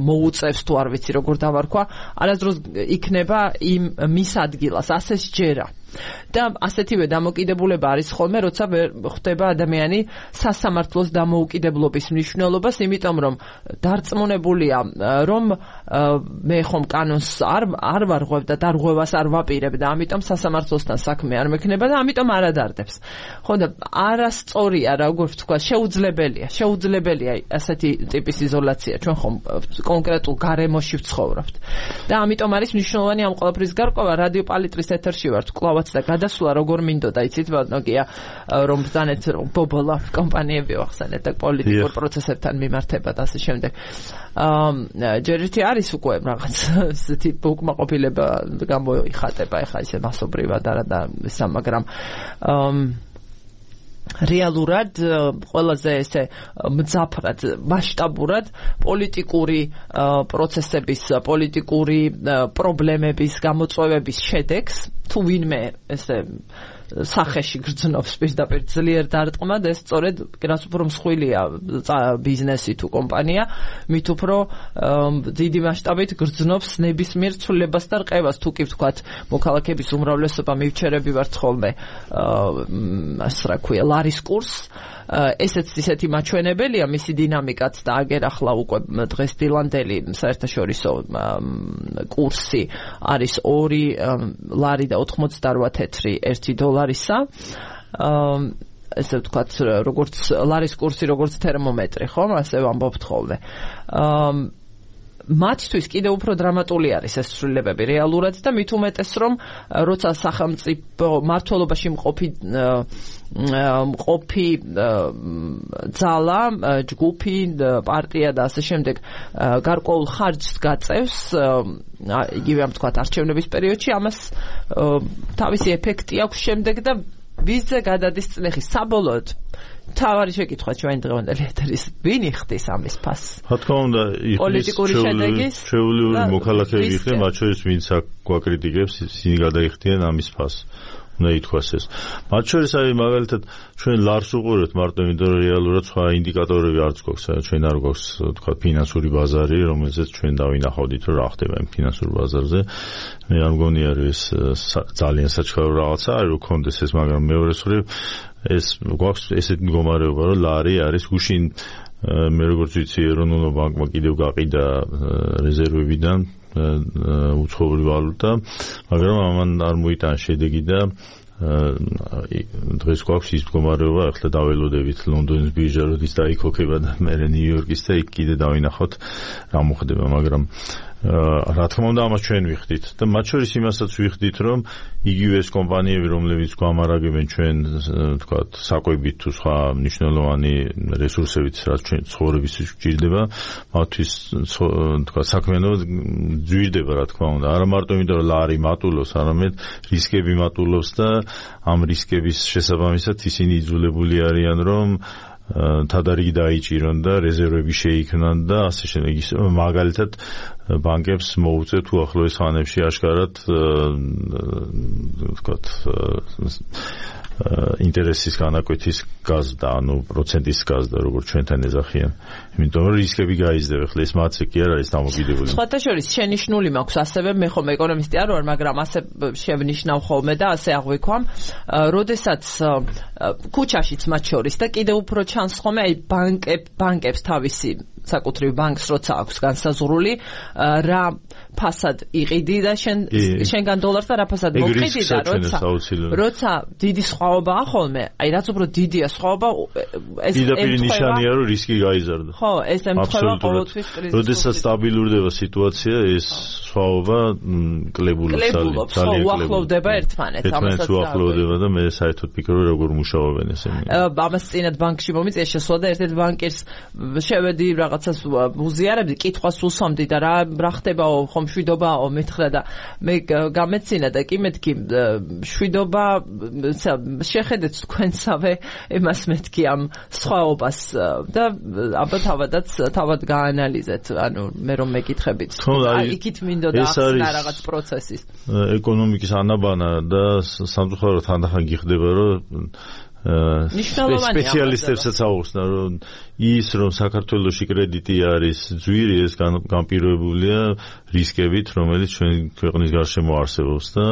A: მოუწევს თუ არ ვიცი როგორ დავარქვა, არასდროს იქნება იმ მის ადგილას, ასე სჯერა. და ასეთივე დამოკიდებულება არის ხოლმე, როცა ხდება ადამიანი სასამართლოს დამოუკიდებლობის მნიშვნელობას, იმიტომ რომ დარწმუნებულია, რომ მე ხომ კანონს არ არ ვარღვევ და დარღვევას არ ვაპირებ და ამიტომ სასამართლოსთან საქმე არ მექნება და ამიტომ არ ადარდებს. ხო და არასწორია, როგორ ვთქვა, შეუძლებელია, შეუძლებელია ასეთი ტიპის იზოლაცია. ჩვენ ხომ კონკრეტულ გარემოში ვცხოვრობთ. და ამიტომ არის მნიშვნელოვანი ამ ყველაფრის გარკვევა. რადიო პალიტრის ეთერში ვართ, კლავაც და გადასვლა როგორ მინდოდა, იცით, ბატონია, რომ ბრძანეთ ბობოლა კომპანიები ვახსენეთ და პოლიტიკურ პროცესებთან მიმართება და ასე შემდეგ. აა ჯერ ერთი არის უკვე რაღაც ესეთი უკმაყოფილება გამოიხატება, ეხლა ისე მასობრივად არა და ისა, მაგრამ აა რეალურად ყველაზე ესე მძაფრად, მასშტაბურად პოლიტიკური პროცესების, პოლიტიკური პრობლემების გამოწვევების შედეგს თუ ვინმე ესე სახეში გრძნობს პირდაპირ ძლიერ დარტყმა და ეს სწორედ რაც უფრო მსხვილია ბიზნესი თუ კომპანია, მით უფრო დიდი მასშტაბით გრძნობს ნებისმიერ ცვლილებას და რყევას. თუ კი ვთქვათ, მოქალაქეების უმრავლესობა მივჩერები ვართ ხოლმე ასე რა ქვია, ლარის კურსს, ესეც ისეთი მაჩვენებელია მისი დინამიკაც და აგერ ახლა უკვე დღეს დილანდელი საერთაშორისო კურსი არის ორი ლარი და ოთხმოცდაოთხ თეთრი ერთი დოლარისა. ესე ვთქვათ, როგორც ლარის კურსი, როგორც თერმომეტრი, ხო? ასე ვამბობთ ხოლმე. მათთვის კიდევ უფრო დრამატული არის ეს ცვლილებები რეალურად და მით უმეტეს რომ როცა სახელმწიფო მართლობაში მყოფი მყოფი ძალა, ჯგუფი, პარტია და ასე შემდეგ გარკვეულ ხარჯს გაწევს იგივე ამ თქვათ არჩევნების პერიოდში, ამას თავისი ეფექტი აქვს შემდეგ და ვიზზე გადადის წლეხი საბოლოოდ თავარი შეკითხვა ჩვენ დღევანდელი ეთერის ვინ იხდის ამის ფასს?
C: რა თქმა უნდა,
A: პოლიტიკური შედეგის
C: შეუძლებელი მოქალაქეები ხდება, მათ შორის ვინც გვაკრიტიკებს, ისინი გადაიხდიან ამის ფასს. უნდა ითქვას ეს. მათ შორის არის მაგალითად ჩვენ ლარს უყურებთ მარტო იმიტომ რომ რეალურად სხვა ინდიკატორები არც გვაქვს, ჩვენ არ გვაქვს თქვა ფინანსური ბაზარი, რომელზეც ჩვენ დავინახავდით რომ რა ხდება იმ ფინანსურ ბაზარზე. მე არ მგონი არის ძალიან საჩქარო რაღაცა არის რომ კონდეს ეს, მაგრამ მეორე მხრივ ეს გვაქვს ესეთი მდგომარეობა რომ ლარი არის გუშინ მე როგორც ვიცი ეროვნულ ბანკმა კიდევ გაყიდა რეზერვებიდან უცხოური ვალუტა, მაგრამ ამან არ მოიტანა შედეგი და დღეს გვაქვს ის მდგომარეობა, ახლა დაველოდებით ლონდონის ბირჟა როდის დაიქოქება და მერე ნიუ-იორკის და იქ კიდე დავინახოთ რა მოხდება, მაგრამ რა თქმა უნდა ამას ჩვენ ვიხდით და მათ შორის იმასაც ვიხდით რომ იგივე ეს კომპანიები რომლებიც გვამარაგებენ ჩვენ თქვათ საკვებით თუ სხვა მნიშვნელოვანი რესურსებით რაც ჩვენ ცხოვრებისთვის გვჭირდება მათთვის თქვათ საქმიანობა ძვირდება რა თქმა უნდა არა მარტო იმიტომ რომ ლარი მატულობს არამედ რისკები მატულობს და ამ რისკების შესაბამისად ისინი იძულებული არიან რომ თადარიგი დაიჭირონ და რეზერვები შეიქმნან და ასე შემდეგ ის მაგალითად ბანკებს მოუწევთ უახლოეს ხანებში აშკარად ვთქვათ ინტერესის განაკვეთის გაზდა, ანუ პროცენტის გაზდა, როგორც ჩვენთან ეძახიან. იმიტომ რომ რისკები გაიზრდება, ხლა ეს მათზე კი არ არის დამოკიდებული.
A: სხვათა შორის შენიშვნული მაქვს ასევე, მე ხომ ეკონომისტი არ ვარ, მაგრამ ასე შევნიშნავ ხოლმე და ასე აღვიქვამ, როდესაც ქუჩაშიც მათ შორის და კიდევ უფრო ჩანს ხოლმე აი ბანკებ ბანკებს თავისი საკუთრივ ბანკს როცა აქვს განსაზღვრული რა ფასად იყიდი და შენ შენგან დოლარს და რა ფასად მოყიდი და როცა როცა დიდი სხვაობაა ხოლმე აი რაც უფრო დიდია სხვაობა ეს
C: პირდაპირ ნიშანია რომ რისკი გაიზარდა
A: ხო ეს ემთხვევა ყოველთვის კრიზისს
C: როდესაც სტაბილურდება სიტუაცია ეს სხვაობა კლებულობს
A: ძალიან უახლოვდება ერთმანეთს
C: ამასაც უახლოვდება და მე საერთოდ ფიქრობ როგორ მუშაობენ ესენი
A: ამას წინათ ბანკში მომიწია შესვლა და ერთ-ერთ ბანკერს შევედი რაღაცას უზიარებდი კითხვას უსვამდი და რა რა ხდებაო ხომ შვიდობაო მეთხრა და მე გამეცინა და კი მეთქი შვიდობა შეხედეთ თქვენსავე იმას მეთქი ამ სხვაობას და აბა თავადაც თავად გაანალიზეთ ანუ მე რომ მეკითხებით იქით მინდოდა ახსნა რაღაც პროცესის
C: ეკონომიკის ანაბანა და სამწუხაროდ თანდახან გიხდება რომ სპეციალისტებსაც აუხსნა რომ ის რომ საქართველოში კრედიტი არის ძვირი ეს განპირობებულია რისკებით რომელიც ჩვენ ქვეყნის გარშემო არსებობს და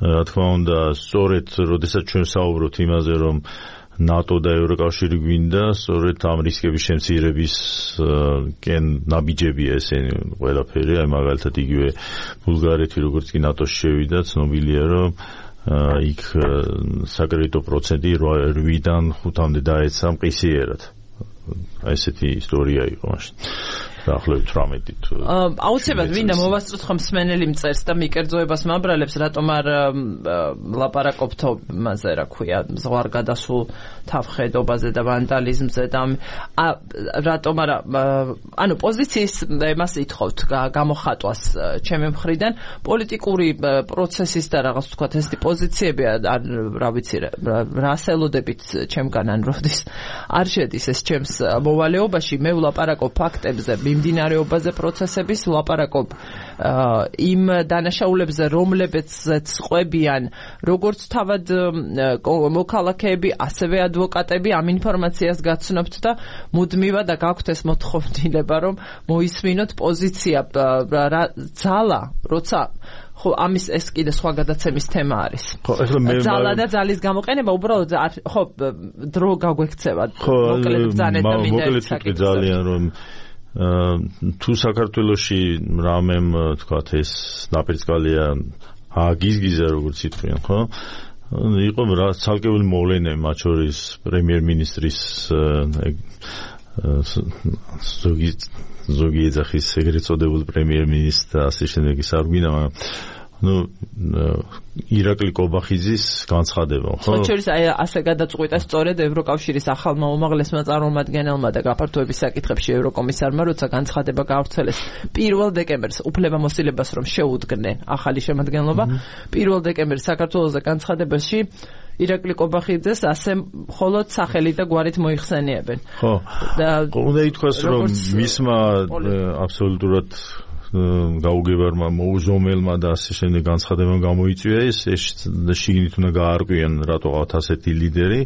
C: რა თქმა უნდა სწორედ როდესაც ჩვენ საუბრობთ იმაზე რომ ნატო და ევროკავშირი გვინდა სწორედ ამ რისკების შემცირების კენ ნაბიჯებია ესენი ყველაფერი აი მაგალითად იგივე ბულგარეთი როგორც კი ნატოში შევიდა ცნობილია რომ იქ საკრედიტო პროცენტი რვიდან ხუთამდე დაეცა მყისიერად. აი ესეთი ისტორია იყო მაშინ. დაახლოებით თვრამეტით.
A: აუცილებლად მინდა მოვასწროთ ხომ მსმენელი მწერს და მიკერძოებას მაბრალებს რატომ არ ლაპარაკობთ მასე რა ქვია ზღვარ გადასულ თავხედობაზე და ვანდალიზმზე და რატომ არა ანუ პოზიციის მას ითხოვთ გამოხატვას ჩემი მხრიდან პოლიტიკური პროცესის და რაღაც ვთქვათ ესეთი პოზიციები არ რა ვიცი რასელოდებით ჩემგან ან როდის არ შედის ეს ჩემს მოვალეობაში მე ვლაპარაკობ ფაქტებზე მიმდინარეობაზე პროცესების ვლაპარაკობ იმ დანაშაულებზე რომლებზეც ყვებიან როგორც თავად მოქალაქეები ასევე ადვოკატები ამ ინფორმაციას გაცნობთ და მუდმივად და გაქვთ ეს მოთხოვნილება რომ მოისმინოთ პოზიცია ძალა როცა ხო ამის ეს კიდე სხვა გადაცემის თემა არის.
C: ხო, ეხლა მე
A: ძალა და ძალის გამოყენება უბრალოდ ხო დრო გაგვექცევა. მოკლედ ბრძანეთ და მინდა
C: მოკლედ ძალიან რომ თუ საქართველოში რამემ თქვათ ეს ნაპერწკალია აგიზგიზა როგორც ითქვიან, ხო? იყო რა ცალკეული მოვლენები მათ შორის პრემიერ-მინისტრის ზოგი ზოგი ეძახის ეგრეთ წოდებულ პრემიერ-მინისტრს და ასე შემდეგ ის არ გვინდა, მაგრამ ну ირაკლი კობახიძის განცხადება, ხო?
A: ხოჩერის აი ასე გადაწყვიტა სწორედ ევროკავშირის ახალმა უმაღლესმა წარმომადგენელმა და გაფართოების საკითხებში ევროკომისარმა, როცა განცხადება გაავრცელეს პირველ დეკემბერს უფლებამოსილებას რომ შეუდგნენ ახალი შემადგენლობა, პირველ დეკემბერს საქართველოს განცხადებაში ირაკლი კობახიძეს ასე მხოლოდ სახელი და გვარით მოიხსენიებენ.
C: ხო. და უნდა ითქვას რომ მისმა აბსოლუტურად გაუგებარმა მოუზომელმა და ასე შემდეგ განცხადებამ გამოიწვია ეს შიგნით უნდა გაარკვიან რატოღაც ასეთი ლიდერი,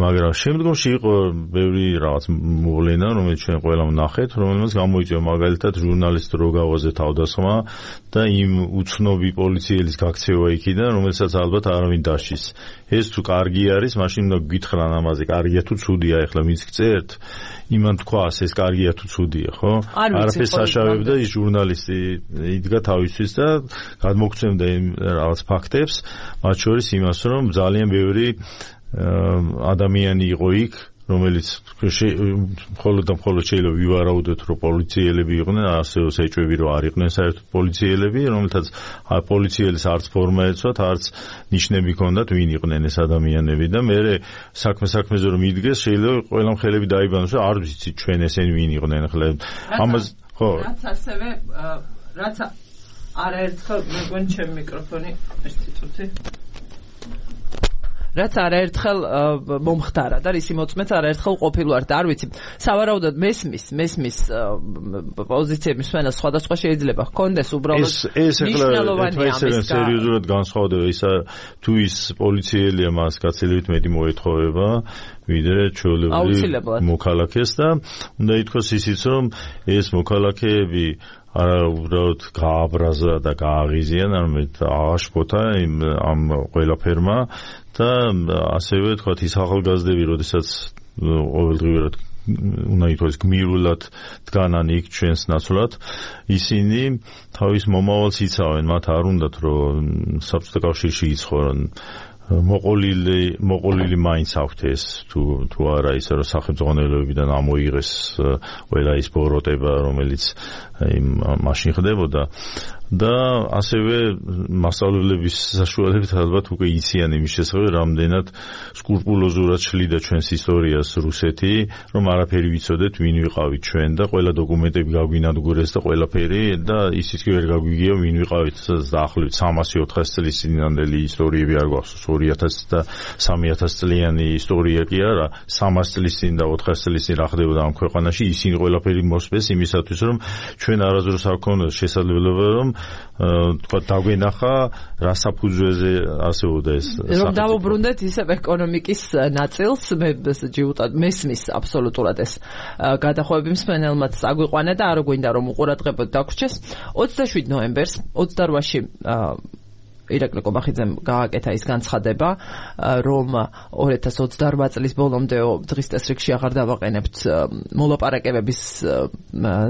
C: მაგრამ შემდგომში იყო ბევრი რაღაც მოვლენა, რომელიც ჩვენ ყველამ ნახეთ, რომელმაც გამოიწვია მაგალითად ჟურნალისტ როგავაზე თავდასხმა და იმ უცნობი პოლიციელის გაქცევა იქიდან, რომელსაც ალბათ არავინ დაშის. ეს თუ კარგი არის, მაშინ უნდა გითხრან ამაზე, კარგია თუ ცუდია, ეხლა ვინც გწერთ, იმან თქვას ეს კარგია თუ ცუდია, ხო? არაფერს აშავებდა ის ჟურნალისტი იდგა თავისთვის და გადმოგცემდა იმ რაღაც ფაქტებს, მათ შორის იმას, რომ ძალიან ბევრი ადამიანი იყო იქ, რომელიც მხოლოდ და მხოლოდ შეიძლება ვივარაუდოთ, რომ პოლიციელები იყვნენ, ასევე ეჭვები რომ არ იყვნენ საერთოდ პოლიციელები, რომელთაც პოლიციელის არც ფორმა ეცვათ, არც ნიშნები ჰქონდათ, ვინ იყვნენ ეს ადამიანები და მე საქმე საქმეზე რომ იდგეს, შეიძლება ყველამ ხელები დაიბანოს, რომ არ ვიცით ჩვენ ესენი ვინ იყვნენ, ახლა ამას ხო
A: რაც ასევე რაც არაერთხელ მეგონი ჩემი მიკროფონი ერთი წუთი რაც არაერთხელ მომხდარა და რისი მოწმეც არაერთხელ ყოფილვარ და არ ვიცი სავარაუდოდ მესმის მესმის პოზიციების ფენა სხვადასხვა შეიძლება ჰქონდეს უბრალოდ
C: მნიშვნელოვანია ამის სერიოზულად განსხვავდება ისა თუ ის პოლიციელია მას გაცილებით მეტი მოეთხოვება ვიდრე ჩვეულებრივ მოქალაქეს და უნდა ითქვას ისიც რომ ეს მოქალაქეები არა უბრალოდ გააბრაზა და გააღიზიან, არამედ აღაშფოთა ამ ყველაფერმა და ასევე თქვათ ის ახალგაზრდები, როდესაც ყოველდღიურად უნდა ითქვას გმირულად დგანან იქ ჩვენს ნაცვლად, ისინი თავის მომავალს იცავენ, მათ არ უნდათ რომ საბჭოთა კავშირში იცხოვრონ. მოყოლილი მოყოლილი მაინც აქვთ ეს თუ თუ არა ისე რომ სახელმწიფოებიდან ამოიღეს ყველა ის ბოროტება რომელიც იმ მაშინ ხდებოდა და ასევე მასწავლებლების საშუალებით ალბათ უკვე იციან იმის შესახებ რამდენად სკრუპულოზურად შლიდა ჩვენს ისტორიას რუსეთი რომ არაფერი ვიცოდეთ ვინ ვიყავით ჩვენ და ყველა დოკუმენტები გაგვინადგურეს და ყველაფერი და ისიც კი ვერ გაგვიგია ვინ ვიყავით დაახლოებით სამასი ოთხასი წლის წინანდელი ისტორიები არ გვახსოვს ორი ათასი და სამი ათასი წლიანი ისტორია კი არა სამასი წლის წინ და ოთხასი წლის წინ რა ხდებოდა ამ ქვეყანაში ისინი ყველაფერი მოსწეს იმისათვის რომ ჩვენ არასდროს არ გქონდეს შესაძლებლობა რომ თქვა დაგვენახა რა საფუძველზე არსებობდა ეს
A: რომ დავუბრუნდეთ ისევ ეკონომიკის ნაწილს მე ჯიუტად მესმის აბსოლუტურად ეს გადახოვები მსმენელმაც აგვიყვანა და არ გვინდა რომ უყურადღებოდ დაგვრჩეს ოცდაშვიდ ნოემბერს ოცდარვაში ირაკლი კობახიძემ გააკეთა ის განცხადება, რომ ორი ათას ოცდაორბა წლის ბოლომდე დღის წესრიგში აღარ დავაყენებთ მოლაპარაკებების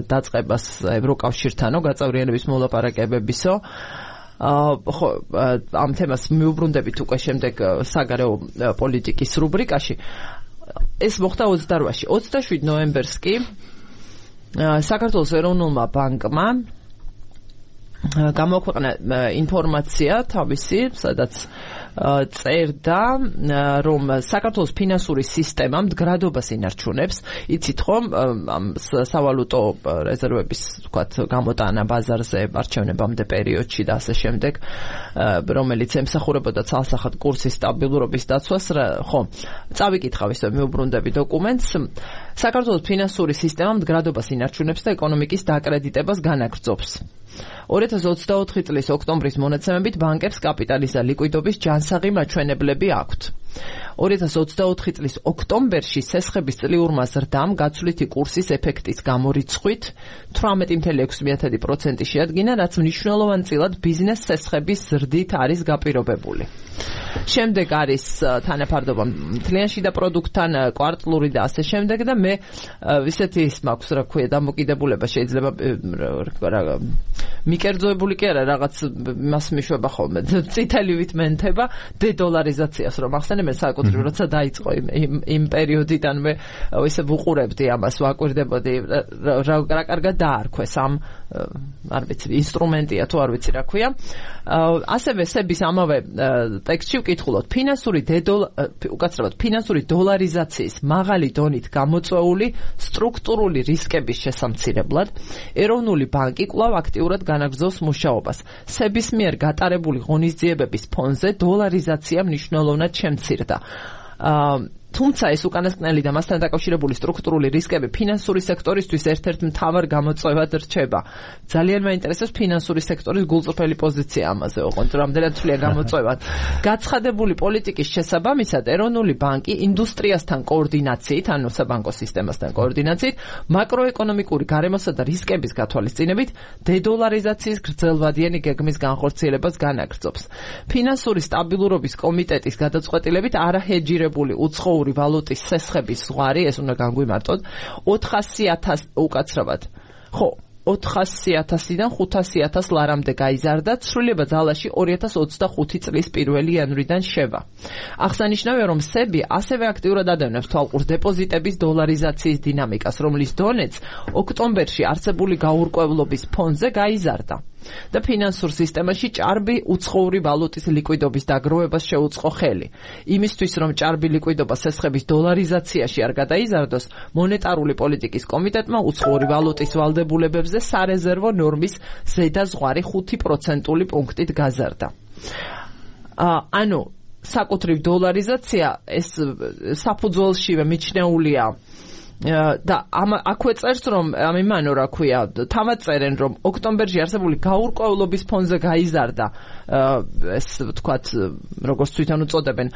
A: დაწყებას ევროკავშირთანო, გაწევრიანების მოლაპარაკებებისო. ხო, ამ თემას მიუბრუნდებით უკვე შემდეგ საგარეო პოლიტიკის რუბრიკაში. ეს მოხდა ოცდარვაში. ოცდაშვიდ ნოემბერს კი საქართველოს ეროვნულმა ბანკმა გამოაქვეყნა ინფორმაცია თავისი, სადაც წერდა, რომ საქართველოს ფინანსური სისტემა მდგრადობას ინარჩუნებს. იცით ხომ, სავალუტო რეზერვების, ვთქვათ, გამოტანა ბაზარზე არჩევნებამდე პერიოდში და ასე შემდეგ, რომელიც ემსახურებოდა ცალსახად კურსის სტაბილურობის დაცვას, ხო, წავიკითხავ ისე მიუბრუნდები დოკუმენტს. საქართველოს ფინანსური სისტემა მდგრადობას ინარჩუნებს და ეკონომიკის დაკრედიტებას განაგრძობს. ორი ათას ოცდაოთხი წლის ოქტომბრის მონაცემებით ბანკებს კაპიტალის და ლიკვიდობის ჯანსაღი მაჩვენებლები აქვთ. ორი ათას ოცდაოთხი წლის ოქტომბერში სესხების წლიურმა ზრდამ გაცვლითი კურსის ეფექტის გამორიცხვით თვრამეტი კoma ექვსი პროცენტი შეადგინა, რაც მნიშვნელოვანწილად ბიზნეს სესხების ზრდით არის გაპირობებული. შემდეგ არის თანაფარდობა მთლიან შიდა პროდუქტთან, კვარტლური და ასე შემდეგ და მე ისეთი ის მაქვს, რა ქვია, დამოკიდებულება შეიძლება მიკერძოებული კი არა, რაღაც მას მიშვება ხოლმე. წითელივით მენთება დედოლარიზაციას რომ ახსენებენ საკუთარ საკუთრივ როცა დაიწყო იმ იმ პერიოდიდანვე ისე ვუყურებდი ამას, ვაკვირდებოდი რა რა კარგად დაარქვეს ამ არ ვიცი ინსტრუმენტია თუ არ ვიცი რა ქვია. ასევე სების ამავე ტექსტში ვკითხულობთ ფინანსური უკაცრავად ფინანსური დოლარიზაციის მაღალი დონით გამოწვეული სტრუქტურული რისკების შესამცირებლად ეროვნული ბანკი კვლავ აქტიურად განაგრძობს მუშაობას. სების მიერ გატარებული ღონისძიებების ფონზე დოლარიზაცია მნიშვნელოვნად შემცირდა. თუმცა ეს უკანასკნელი და მასთან დაკავშირებული სტრუქტურული რისკები ფინანსური სექტორისთვის ერთ-ერთ მთავარ გამოწვევად რჩება. ძალიან მაინტერესებს ფინანსური სექტორის გულწრფელი პოზიცია ამაზე, ოღონდ რამდენად თვლია გამოწვევად. გაცხადებული პოლიტიკის შესაბამისად, ეროვნული ბანკი ინდუსტრიასთან კოორდინაციით, ანუ საბანკო სისტემასთან კოორდინაციით, მაკროეკონომიკური გარემოსა და რისკების გათვალისწინებით დედოლარიზაციის გრძელვადიანი გეგმის განხორციელებას განაგრძობს. ფინანსური სტაბილურობის კომიტეტის გადაწყვეტილებით არაჰეჯირებული უცხოური ვალუტის სესხების ზღვარი, ეს უნდა განგვიმარტოთ, ოთხასი ათასი უკაცრავად. ხო, ოთხასი ათასიდან ხუთასი ათას ლარამდე გაიზარდა, ცვლილება ძალაში ორი ათას ოცდახუთი წლის პირველი იანვრიდან შევა. აღსანიშნავია, რომ სები ასევე აქტიურად ადევნებს თვალყურს დეპოზიტების დოლარიზაციის დინამიკას, რომლის დონეც ოქტომბერში არსებული გაურკვევლობის ფონზე გაიზარდა. და ფინანსურ სისტემაში ჭარბი უცხოური ვალუტის ლიკვიდობის დაგროვებას შეუწყო ხელი. იმისთვის, რომ ჭარბი ლიკვიდობა სესხების დოლარიზაციაში არ გადაიზარდოს, მონეტარული პოლიტიკის კომიტეტმა უცხოური ვალუტის ვალდებულებებზე სარეზერვო ნორმის ზედაზღვარი ხუთი პროცენტული პუნქტით გაზარდა. ანუ საკუთრივ დოლარიზაცია ეს საფუძველშივე მიჩნეულია და აქვე წერს, რომ ამიმანო რა ქვია, თავად წერენ, რომ ოქტომბერში არსებული გაურკვევლობის ფონზე გაიზარდა ეს ვთქვათ, როგორც თვითონ უწოდებენ,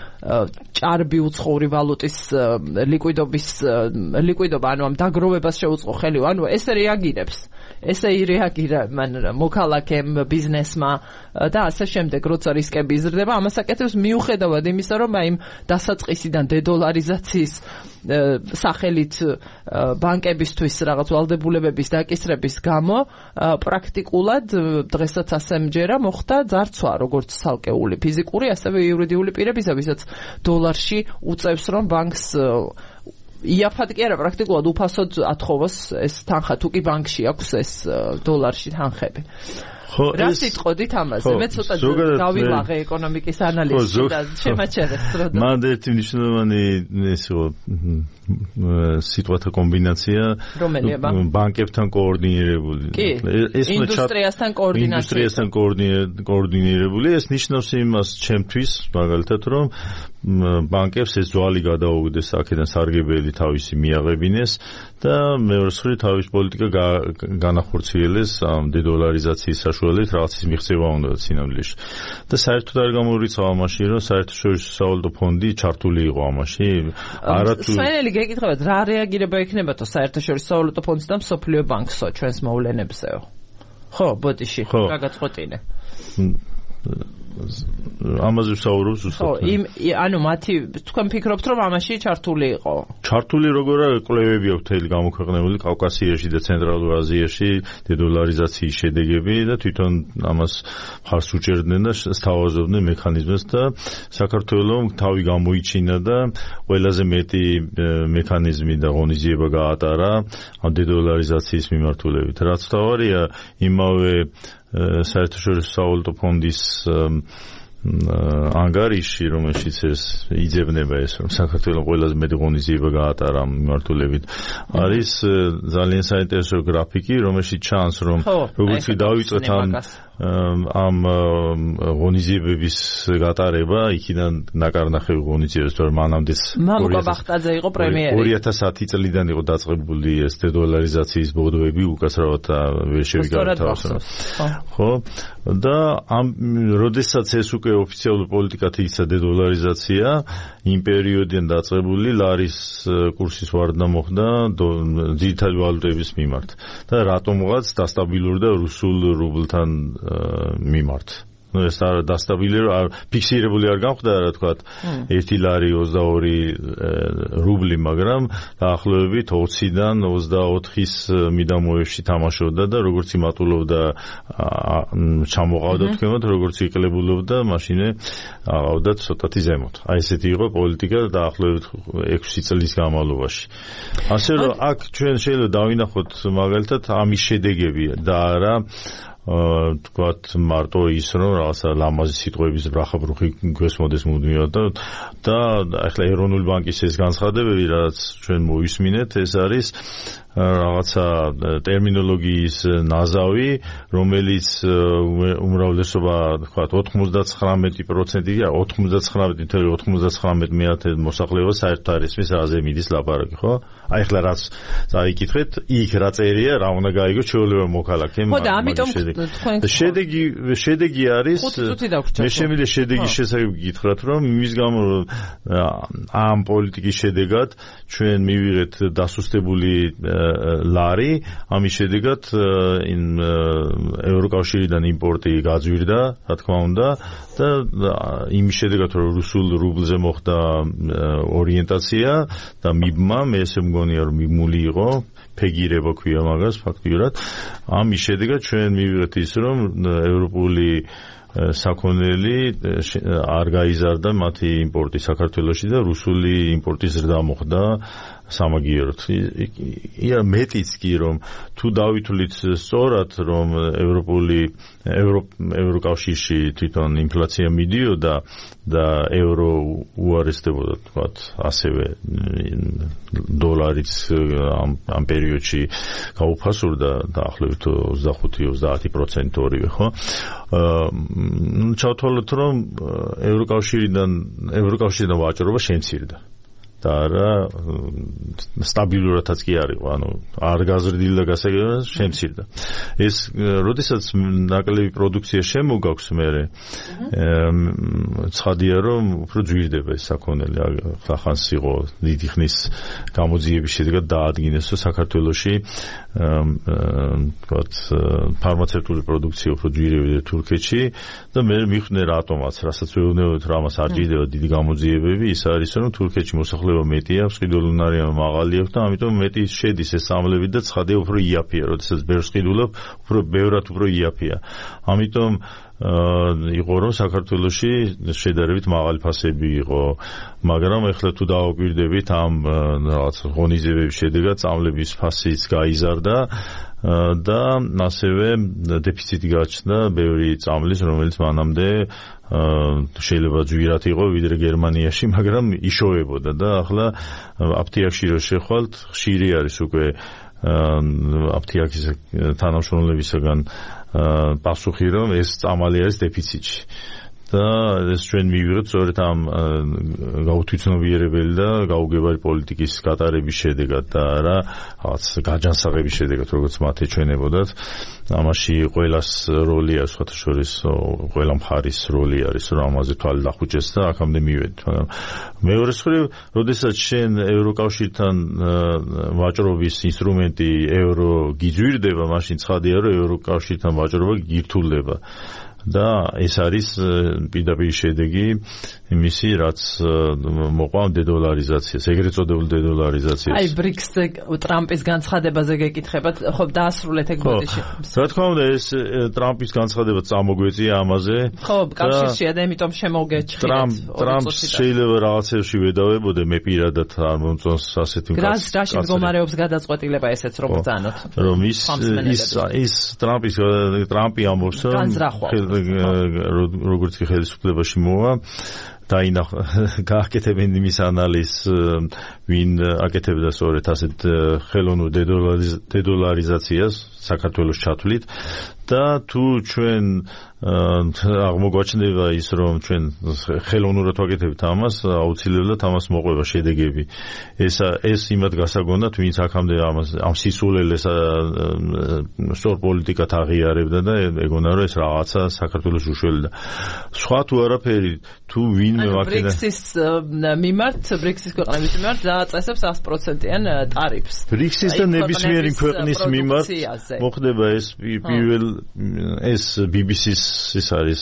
A: ჭარბი უცხოური ვალუტის ლიკვიდობის ლიკვიდობა, ანუ ამ დაგროვებას შეუწყო ხელი, ანუ ესე რეაგირებს. ესე ირეაგირა მან მოქალაქემ, ბიზნესმა და ასე შემდეგ, როცა რისკები იზრდება, ამას აკეთებს მიუხედავად იმისა, რომ აი იმ დასაწყისიდან დედოლარიზაციის სახელით ბანკებისთვის რაღაც ვალდებულებების დაკისრების გამო პრაქტიკულად დღესაც ასე მჯერა მოხდა ძარცვა, როგორც ცალკეული ფიზიკური, ასევე იურიდიული პირებისა, ვისაც დოლარში უწევს, რომ ბანკს იაფად კი არა, პრაქტიკულად უფასოდ ათხოვოს ეს თანხა, თუ კი ბანკში აქვს ეს დოლარში თანხები. რა სიტყოდით ამაზე? მე ცოტა დავილაღე ეკონომიკის ანალიზში და შემაჩერეს დრო.
C: მან ერთი მნიშვნელოვანი ესო სიტყვათა კომბინაცია ბანკებთან კოორდინირებული.
A: ეს ინდუსტრიასთან კოორდინაცია.
C: ინდუსტრიასთან კოორდინირებული, ეს ნიშნავს იმას ჩემთვის, მაგალითად, რომ ბანკებს ეს ძვალი გადაუგდეს აქედან სარგებელი თავისი მიაღებინეს და მეორე მხრივ თავის პოლიტიკა განახორციელეს ამ დედოლარიზაციის საშუალებით რაღაცის მიღწევა უნდა სინამდვილეში. და საერთოდ არ გამორიცხავ ამაში, რომ საერთაშორისო სავალუტო ფონდი ჩართული იყო ამაში. არათუ
A: სვენელი გეკითხებათ, რა რეაგირება იქნებათო საერთაშორისო სავალუტო ფონდს და მსოფლიო ბანკსო ჩვენს მოვლენებზეო? ხო, ბოდიში, რა გაწყვეტინე?
C: ამაზე ვსაუბრობ ზუსტად.
A: ხო, იმ ანუ მათი თქვენ ფიქრობთ, რომ ამაში ჩართული იყო?
C: ჩართული როგორია, კვლევები აქვს თელი გამოქვეყნებული კავკასიაში და ცენტრალურ აზიაში დედოლარიზაციის შედეგები და თვითონ ამას ხარს უჭერდნენ და სთავაზობდნენ მექანიზმებს და საქართველოს თავი გამოიჩინა და ყველაზე მეტი მექანიზმი და ღონისძიება გაატარა ამ დედოლარიზაციის მიმართულებით. რაც თავარია, იმავე საერთაშორისო სავალუტო ფონდის ანგარიში, რომელშიც ეს იძებნება ეს, რომ საქართველოს ყველაზე მეტი ღონისძიება გაატარა ამ მიმართულებით, არის ძალიან საინტერესო გრაფიკი, რომელშიც ჩანს, რომ როგორც დავიწყეთ ამ ამ ღონისძიებების გატარება, იქიდან ნაკარნახევი ღონისძიებებს, თორემ მანამდეც
A: მამუკა ბახტაძე იყო პრემიერი.
C: ორი ათას ათი წლიდან იყო დაწყებული ეს დედოლარიზაციის ბოდოები, უკაცრავად ვერ შევიგავ თავს. ხო? და ამ როდესაც ეს უკვე ოფიციალური პოლიტიკად იქცა დედოლარიზაცია, იმ პერიოდიდან დაწყებული ლარის კურსის ვარდნა მოხდა ძირითადი ვალუტების მიმართ. და რატომღაც დასტაბილურდა რუსულ რუბლთან მიმართ. ნუ ეს არ დასტაბილირებული, ფიქსირებული არ გამხდა რა თქვა, ერთი ლარი ოცდაორი რუბლი, მაგრამ დაახლოებით ოციდან ოცდაოთხის მიდამოებში თამაშობდა და როგორც იმატულობდა ჩამოყავდა თქვენოთ, როგორც იყლებულობდა, მაშინე აღავდა ცოტათი ზემოთ. აი ესეთი იყო პოლიტიკა დაახლოებით ექვსი წლის განმავლობაში. ასე რომ აქ ჩვენ შეიძლება დავინახოთ მაგალითად ამის შედეგები და არა თქვათ მარტო ის რომ რაღაცა ლამაზი სიტყვების ბრახაბრუხი გვესმოდეს მუდმივად და და ახლა ეროვნული ბანკის ეს განცხადებები რაც ჩვენ მოვისმინეთ ეს არის რაღაცა ტერმინოლოგიის ნაზავი რომელიც უმრავლესობა თქვათ ოთხმოცდათხრამეტი პროცენტი ან ოთხმოცდათხრამეტი ნული ოთხმოცდათხრამეტი მეათე მოსახლეობა საერთო არისმის რაზე მიდის ლაპარაკი ხო აი ახლა რაც წაიკითხეთ იქ რა წერია რა უნდა გაიგოს ჩვეულებრივ მოქალაქემ
A: ხო და ამიტომ
C: შედეგი შედეგი არის მე შემიძლია შედეგის შესახებ გითხრათ რომ იმის გამო ამ პოლიტიკის შედეგად ჩვენ მივიღეთ დასუსტებული ლარი ამის შედეგად ევროკავშირიდან იმპორტი გაძვირდა რა თქმა უნდა და იმის შედეგად რომ რუსულ რუბლზე მოხდა ორიენტაცია და მიბმა მე ესე მგონია რომ მიბმული იყო ფეგირება ქვია მაგას ფაქტიურად ამის შედეგად ჩვენ მივიღეთ ის რომ ევროპული საქონელი არ გაიზარდა მათი იმპორტი საქართველოში და რუსული იმპორტის ზრდა მოხდა სამაგიეროდ. ია მეტიც კი რომ თუ დავითვლით სწორად რომ ევროპული ევროკავშირში თვითონ ინფლაცია მიდიოდა და ევრო უარესდებოდა თქვათ ასევე დოლარიც ამ ამ პერიოდში გაუფასურდა დაახლოებით ოცდახუთი ოცდაათი პროცენტი ორივე ხო ნუ ჩავთვალოთ რომ ევროკავშირიდან ევროკავშირიდან ვაჭრობა შემცირდა და რა სტაბილურადაც კი არ იყო, ანუ არ გაზრდილდა გასაგებად შემცირდა. ეს როდესაც ნაკლები პროდუქცია შემოგაქვს მერე ცხადია რომ უფრო ძვირდება ეს საქონელი. ხახანს იყო დიდი ხნის გამოძიების შედეგად დაადგინეს რომ საქართველოში თქვათ ფარმაცევტული პროდუქცია უფრო ძვირებია თურქეთში და მე მიხვნე რატომაც, რასაც ვეუბნებოდ რომ ამას არ ჭირდება დიდი გამოძიებები, ის არის რომ თურქეთში მოსახლეობა მეტი აქვს, ყიდულუნარია მაღალი აქვს და ამიტომ მეტი შედის ეს სამლები და ცხადია უფრო იაფია, როდესაც ბევრს ყიდულობ, უფრო ბევრად უფრო იაფია. ამიტომ იყო რომ საქართველოში შედარებით მაღალი ფასები იყო, მაგრამ ეხლა თუ დავაკვირდებით ამ რაღაც ღონისძიებების შედეგად წამლების ფასიც გაიზარდა და ასევე დეფიციტი გაჩნდა ბევრი წამლის, რომელიც მანამდე შეიძლება ძვირად იყო ვიდრე გერმანიაში, მაგრამ იშოვებოდა და ახლა აფთიაქში რო შეხვალთ, ხშირი არის უკვე აფთიაქის თანამშრომლებისგან პასუხი რომ ეს წამალი არის დეფიციტში. და ეს ჩვენ მივიღეთ სწორედ ამ გაუთვითმცნობიერებელი და გაუგებარი პოლიტიკის გატარების შედეგად და რა რაღაც გაჯანსაღების შედეგად, როგორც მათ ეჩვენებოდათ. ამაში ყველას როლი არის, სხვათა შორის ყველა მხარის როლი არის, რომ ამაზე თვალი დახუჭეს და აქამდე მივედით. მაგრამ მეორე მხრივ, როდესაც შენ ევროკავშირთან ვაჭრობის ინსტრუმენტი ევრო გიძვირდება, მაშინ ცხადია, რომ ევროკავშირთან ვაჭრობა გირთულდება. და ეს არის პირდაპირ შედეგი იმისი, რაც მოყვა დედოლარიზაციას, ეგრეთ წოდებული დედოლარიზაციას.
A: აი ბრიქსზე ტრამპის განცხადებაზე გეკითხებათ, ხო დაასრულეთ ეგ ბოდიში.
C: რა თქმა უნდა, ეს ტრამპის განცხადება წამოგვეწია ამაზე.
A: ხო, კავშირშია და ამიტომ შემოგეჩხილეთ.
C: ტრამპს შეიძლება რაღაცებში ვედავებოდე, მე პირადად არ მომწონს ასეთი
A: კაცი. რა შემდგომარეობს გადაწყვეტილება ესეც რომ ბრძანოთ.
C: რომ ის ის ის ტრამპის ტრამპი ამბობს, რომ როგორც კი ხელისუფლებაში მოვა დაინახა გააკეთებენ იმის ანალიზს ვინ აკეთებდა სწორედ ასეთ ხელოვნურ დედოლარიზაციას საქართველოს ჩათვლით და თუ ჩვენ აღმოგვაჩნდება ის რომ ჩვენ ხელოვნურად ვაკეთებთ ამას აუცილებლად ამას მოყვება შედეგები ეს ეს იმად გასაგონდათ ვინც აქამდე ამას ამ სისულელეს სწორ პოლიტიკად აღიარებდა და ეგონა რომ ეს რაღაცა საქართველოს უშველდა სხვა თუ არაფერი თუ ვინ ვინმე ვაკედა.
A: ბრიქსის მიმართ, ბრიქსის ქვეყნების მიმართ დააწესებს sto პროცენტიან ტარიფს.
C: ბრიქსის და ნებისმიერი ქვეყნის მიმართ მოხდება ეს პირველ ეს ბი ბი სის ის არის.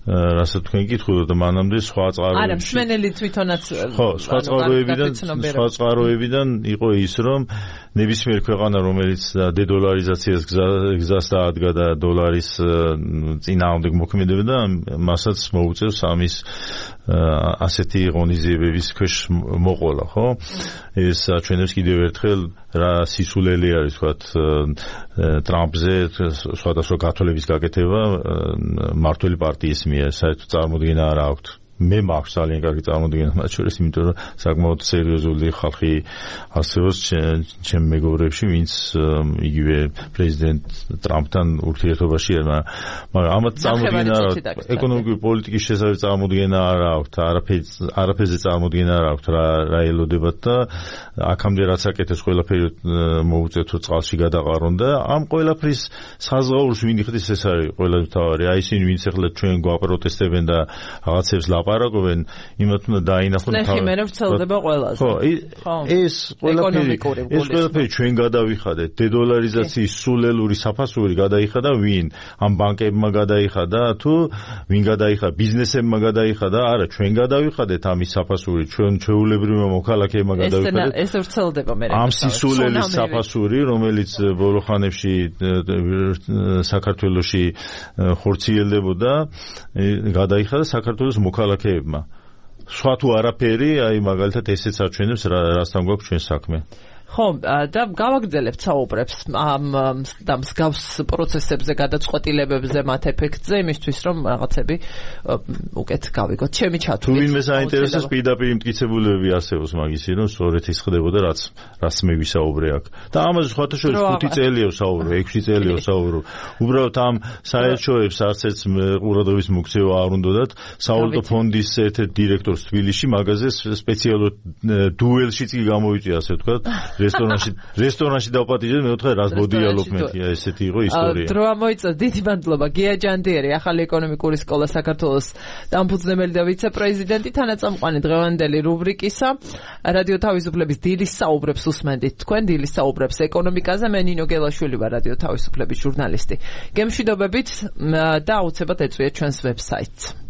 C: რასაც თქვენ გითხულობთ და მანამდე სხვა წყაროებში.
A: არა, მსმენელი თვითონაც
C: ხო, სხვა წყაროებიდან, სხვა წყაროებიდან იყო ის, რომ ნებისმიერ ქვეყანა, რომელიც დედოლარიზაციას გზას დაადგა და დოლარის წინააღმდეგ მოქმედებდა, მასაც მოუწევს ამის ასეთი ღონისძიებების ქვეშ მოყოლა, ხო? ეს ჩვენებს კიდევ ერთხელ რა სისულელი არის, ვთქვათ, ტრამპზე სხვადასხვა გათვლების გაკეთება მმართველი პარტიის მიერ, საერთოდ წარმოდგენა არ აქვთ. მე მაქვს ძალიან კარგი წარმოდგენა მათ შორის, იმიტომ რომ საკმაოდ სერიოზული ხალხი არსებობს ჩემ მეგობრებში, ვინც იგივე პრეზიდენტ ტრამპთან ურთიერთობაში არა, მაგრამ ამათ წარმოდგენა არ აქვს, ეკონომიკური პოლიტიკის შესახებ წარმოდგენა არ აქვს, არაფერი არაფერზე წარმოდგენა არ აქვს, რა რა ელოდებათ და აქამდე რაც აკეთეს ყველაფერი მოუწევთ რომ წყალში გადაყარონ და ამ ყველაფრის საზღაურს ვინ იხდის, ეს არის ყველაზე მთავარი. აი ისინი ვინც ახლა ჩვენ გვაპროტესტებენ და რაღაცებს ლაპარაკობენ, იმათ უნდა დაინახონ
A: თავი. ნახე, მე ვრცელდება ყველაზე.
C: ხო, ეს ყველაფერი ეს ყველაფერი ჩვენ გადავიხადეთ. დედოლარიზაციის სულელური საფასური გადაიხადა ვინ? ამ ბანკებმა გადაიხადა თუ ვინ გადაიხადა? ბიზნესებმა გადაიხადა? არა, ჩვენ გადავიხადეთ ამის საფასური, ჩვენ ჩვეულებრივმა მოქალაქეებმა გადავიხადეთ.
A: ეს ვრცელდება მე.
C: ამ სისულელის საფასური, რომელიც ბოლო ხანებში საქართველოში ხორციელდებოდა, გადაიხადა საქართველოს მოქალაქეებმა. სხვა თუ არაფერი, აი მაგალითად ესეც აჩვენებს რასთან გვაქვს ჩვენ საქმე.
A: ხო, და გავაგრძელებთ საუბრებს ამ და მსგავს პროცესებზე, გადაწყვეტილებებზე, მათ ეფექტზე, იმისთვის რომ რაღაცები უკეთ გავიგოთ. ჩემი ჩათვლით.
C: თუ ვინმე საინტერესოს, პირდაპირ მტკიცებულებები არსებობს მაგისი, რომ სწორედ ის ხდებოდა, რაც რაც მე ვისაუბრე აქ. და ამაზე სხვათა შორის ხუთი წელია ვსაუბრო, ექვსი წელია ვსაუბრო. უბრალოდ ამ საერთაშორისო არც ერთ ყურადღების მოქცევა არ უნდათ. სავალუტო ფონდის ერთ-ერთ დირექტორს თბილისში მაგაზე სპეციალურ დუელშიც კი გამოვიწვია, ასე ვთქვათ. რესტორანში რესტორანში დავპატიჟეთ, მე ვთქვი რას მოდიალობ მეთი, ესეთი იყო ისტორია.
A: დრო ამოიწევს, დიდი მადლობა. გია ჯანდიერი, ახალი ეკონომიკური სკოლა საქართველოს დამფუძნებელი და ვიცე-პრეზიდენტი, თანაწამყვანი დღევანდელი რუბრიკისა. რადიო თავისუფლების დილის საუბრებს უსმენდით თქვენ, დილის საუბრებს ეკონომიკაზე. მე ნინო გელაშვილი ვარ, რადიო თავისუფლების ჟურნალისტი. გემშვიდობებით და აუცილებლად ეწვიეთ ჩვენს ვებსაიტს.